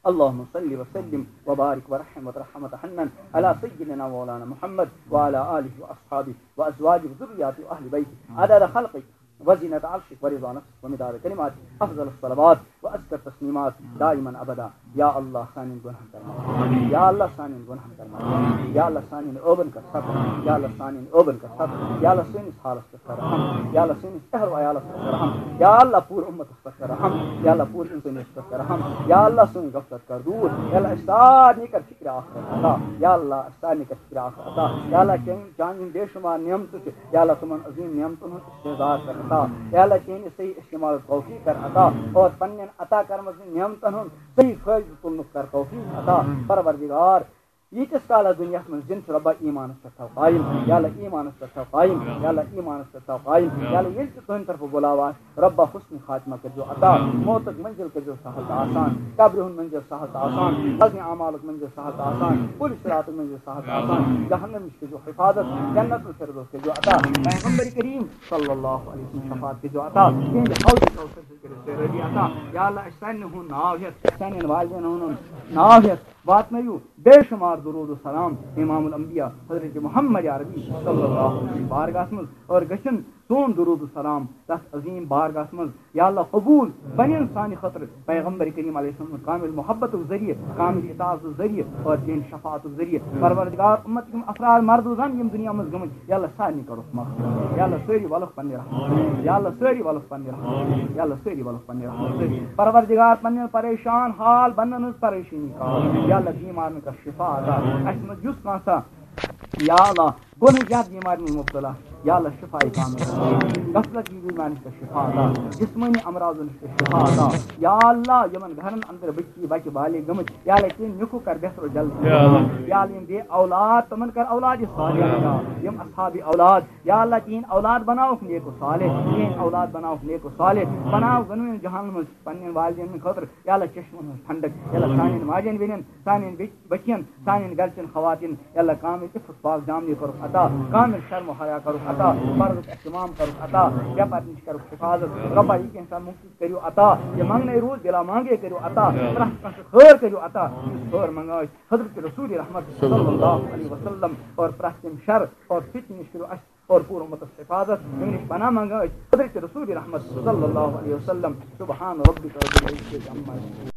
اللهم صل وسلم وبارك ورحم وترحم وتحنن على سيدنا مولانا محمد وعلى آله وأصحابه وأزواجه وذرياته وأهل بيته عدد خلقك وزينة عرشك ورضا نفسك ومداد كلماتك، أفضل الصلوات وأزكى التسليمات دائما أبدا۔ یا اللہ سانٮ۪ن گۄناہن کر معاف۔ یا اللہ سانٮ۪ن گۄناہن کر معاف۔ یا اللہ سانٮ۪ن عٲبن کر ستر۔ یا اللہ سانٮ۪ن عٲبن کر ستر۔ یا اللہ سٲنِس حالس پٮ۪ٹھ کر رحم۔ یا اللہ سٲنِس اہل و عیالس پٮ۪ٹھ کر رحم۔ یا اللہ پوٗرٕ اُمتس پٮ۪ٹھ کر رحم۔ یا اللہ پوٗرٕ اِنسٲنیتس پٮ۪ٹھ کر رحم۔ یا اللہ سٲنۍ غفلت کر دوٗر۔ یا اللہ اَسہِ سارنٕے کر فکرِ آخرت عطا۔ یا اللہ اَسہِ سارنٕے کر فکرِ آخرت عطا۔ یا اللہ چٲنۍ، چانہِ یِم بے شمار نعمتہٕ چھِ، یا اللہ تِمن عظیٖم نعمتن ہُنٛد استحضار کر عطا۔ یا اللہ چٲنۍ صحیح استعمال توفیق کر عطا اور پننٮ۪ن عطا کرمژن نعمتن ہُنٛد صحیح فٲیدٕ تُلنُک کر توفیق عطا۔ پروردگار، ییٖتِس کالس دُنیاہس منٛز زِندٕ چھِ، رۄبا ایٖمانس پٮ۪ٹھ تھاو قٲیِم۔ یا اللہ ایٖمانس پٮ۪ٹھ تھاو قٲیِم۔ یا اللہ ایٖمانس پٮ۪ٹھ تھاو قٲیِم۔ یا اللہ ییٚلہِ تہِ تُہنٛدِ طرفہٕ بُلاو آسہِ، رۄبا حسن خاتمہ کٔرۍزیو عطا، موتُک منزل کٔرۍزیو سہل تہٕ آسان، قبرِ ہُنٛد منزل سہل تہٕ آسان، وزنِ اعمالُک منزل سہل تہٕ آسان، پُلہِ صراطُک منزل سہل تہٕ آسان، جہنم نِش کٔرۍزیو حفاظت، جنت الفردوس کٔرۍزیو عطا، پیغمبر کریم صلی اللہ علیہ وسلم شفاعت کٔرۍزیو عطا، تِہنٛدِ حوضِ کوثر سۭتۍ کٔرِو سٲری عطا۔ یا اللہ اَسہِ سارنٕے ہُنٛد ناو ہٮ۪تھ، سارنٕنۍ والدینن ہُنٛد ناو ہٮ۪تھ واتنٲیِو بے شمار درود و سلام امام الانبیاء حضرت محمد عربی صلی اللہ علیہ وسلم بارگاہس منٛز اور گژھن سون درود و سلام تس عظیم بارگاہس منٛز یا اللہ قبول بنن سانہِ خٲطرٕ پیغمبر کریم علیہ السلام کامل محبت ذریعہ، کامل اطاعت ذریعہ اور تہنٛد شفاعت ذریعہ۔ پروردگار امت یِم افراد مرد و زن یِم دنیا منٛز گٔمٕتۍ، یا اللہ سارنٕے کرُکھ مغفرت۔ یا اللہ سٲری ولُکھ پننہِ رحمت۔ یا اللہ سٲری ولُکھ پننہِ رحمت۔ یا اللہ سٲری ولُکھ پننہِ رحمت۔ پروردگار پننٮ۪ن پریشان حال بنن ہٕنٛز پریشٲنی کر۔ یا اللہ بیمارن کر شفا عطا۔ اسہِ منٛز یُس کانٛہہ سا یا اللہ گۄنہٕ زیادٕ بیمارِ منٛز مبتلا، یا اللہ شفا کامل۔ غفلت کی بیمارِ نِش کر شفا عطا۔ جسمٲنی امراضو نِش کر شفا عطا۔ یا اللہ یِمن گرن اندر بچی بچہِ بالغ گٔمٕتۍ، یا اللہ تِم نیُکھ کر بہتر و جلد۔ یا اللہ۔ یا اللہ یِم بے اولاد تِمن کر اولاد صالح عطا۔ یِم اصحاب اولاد، یا اللہ تِہنٛد اولاد بناوکھ نیک و صالح، تِہنٛد اولاد بناوکھ نیک و صالح، بناو گنوین جہان منٛز پننٮ۪ن والدین ہٕنٛدِ خٲطرٕ یا اللہ چشمن ہٕنٛز ٹھنڈک، یا اللہ سانٮ۪ن ماجٮ۪ن بیٚنٮ۪ن، سانٮ۪ن بچ-، بچین، سانٮ۪ن گرچٮ۪ن خواتین، یا اللہ کامل عفت پاک دامنی کرُکھ عطا، کامل شرم و حیا کرُکھ عطا، فرضُک اہتمام کرُکھ عطا، بے پردٕ نِش کرُکھ حفاظت۔ رۄبا یہِ کینٛہہ سا مُفت کٔرِو عطا، یہِ منٛگنے روٗد بلا مانگے کٔرِو عطا، پرٛٮ۪تھ کانٛہہ سُہ خٲر کٔرِو عطا، یُس خٲر منٛگان ٲسۍ حضرت رسول رحمت صلی اللہ علیہ وسلم، اور پرٛٮ۪تھ کُنہِ شر اور فتنہٕ نِش کٔرِو اَسہِ اور پوٗرٕ اُمتس حفاظت، یِمن نِش پناہ منٛگان أسۍ حضرت رسول رحمت صلی اللہ علیہ وسلم۔ سبحان ربک رب العزة عما یصفون۔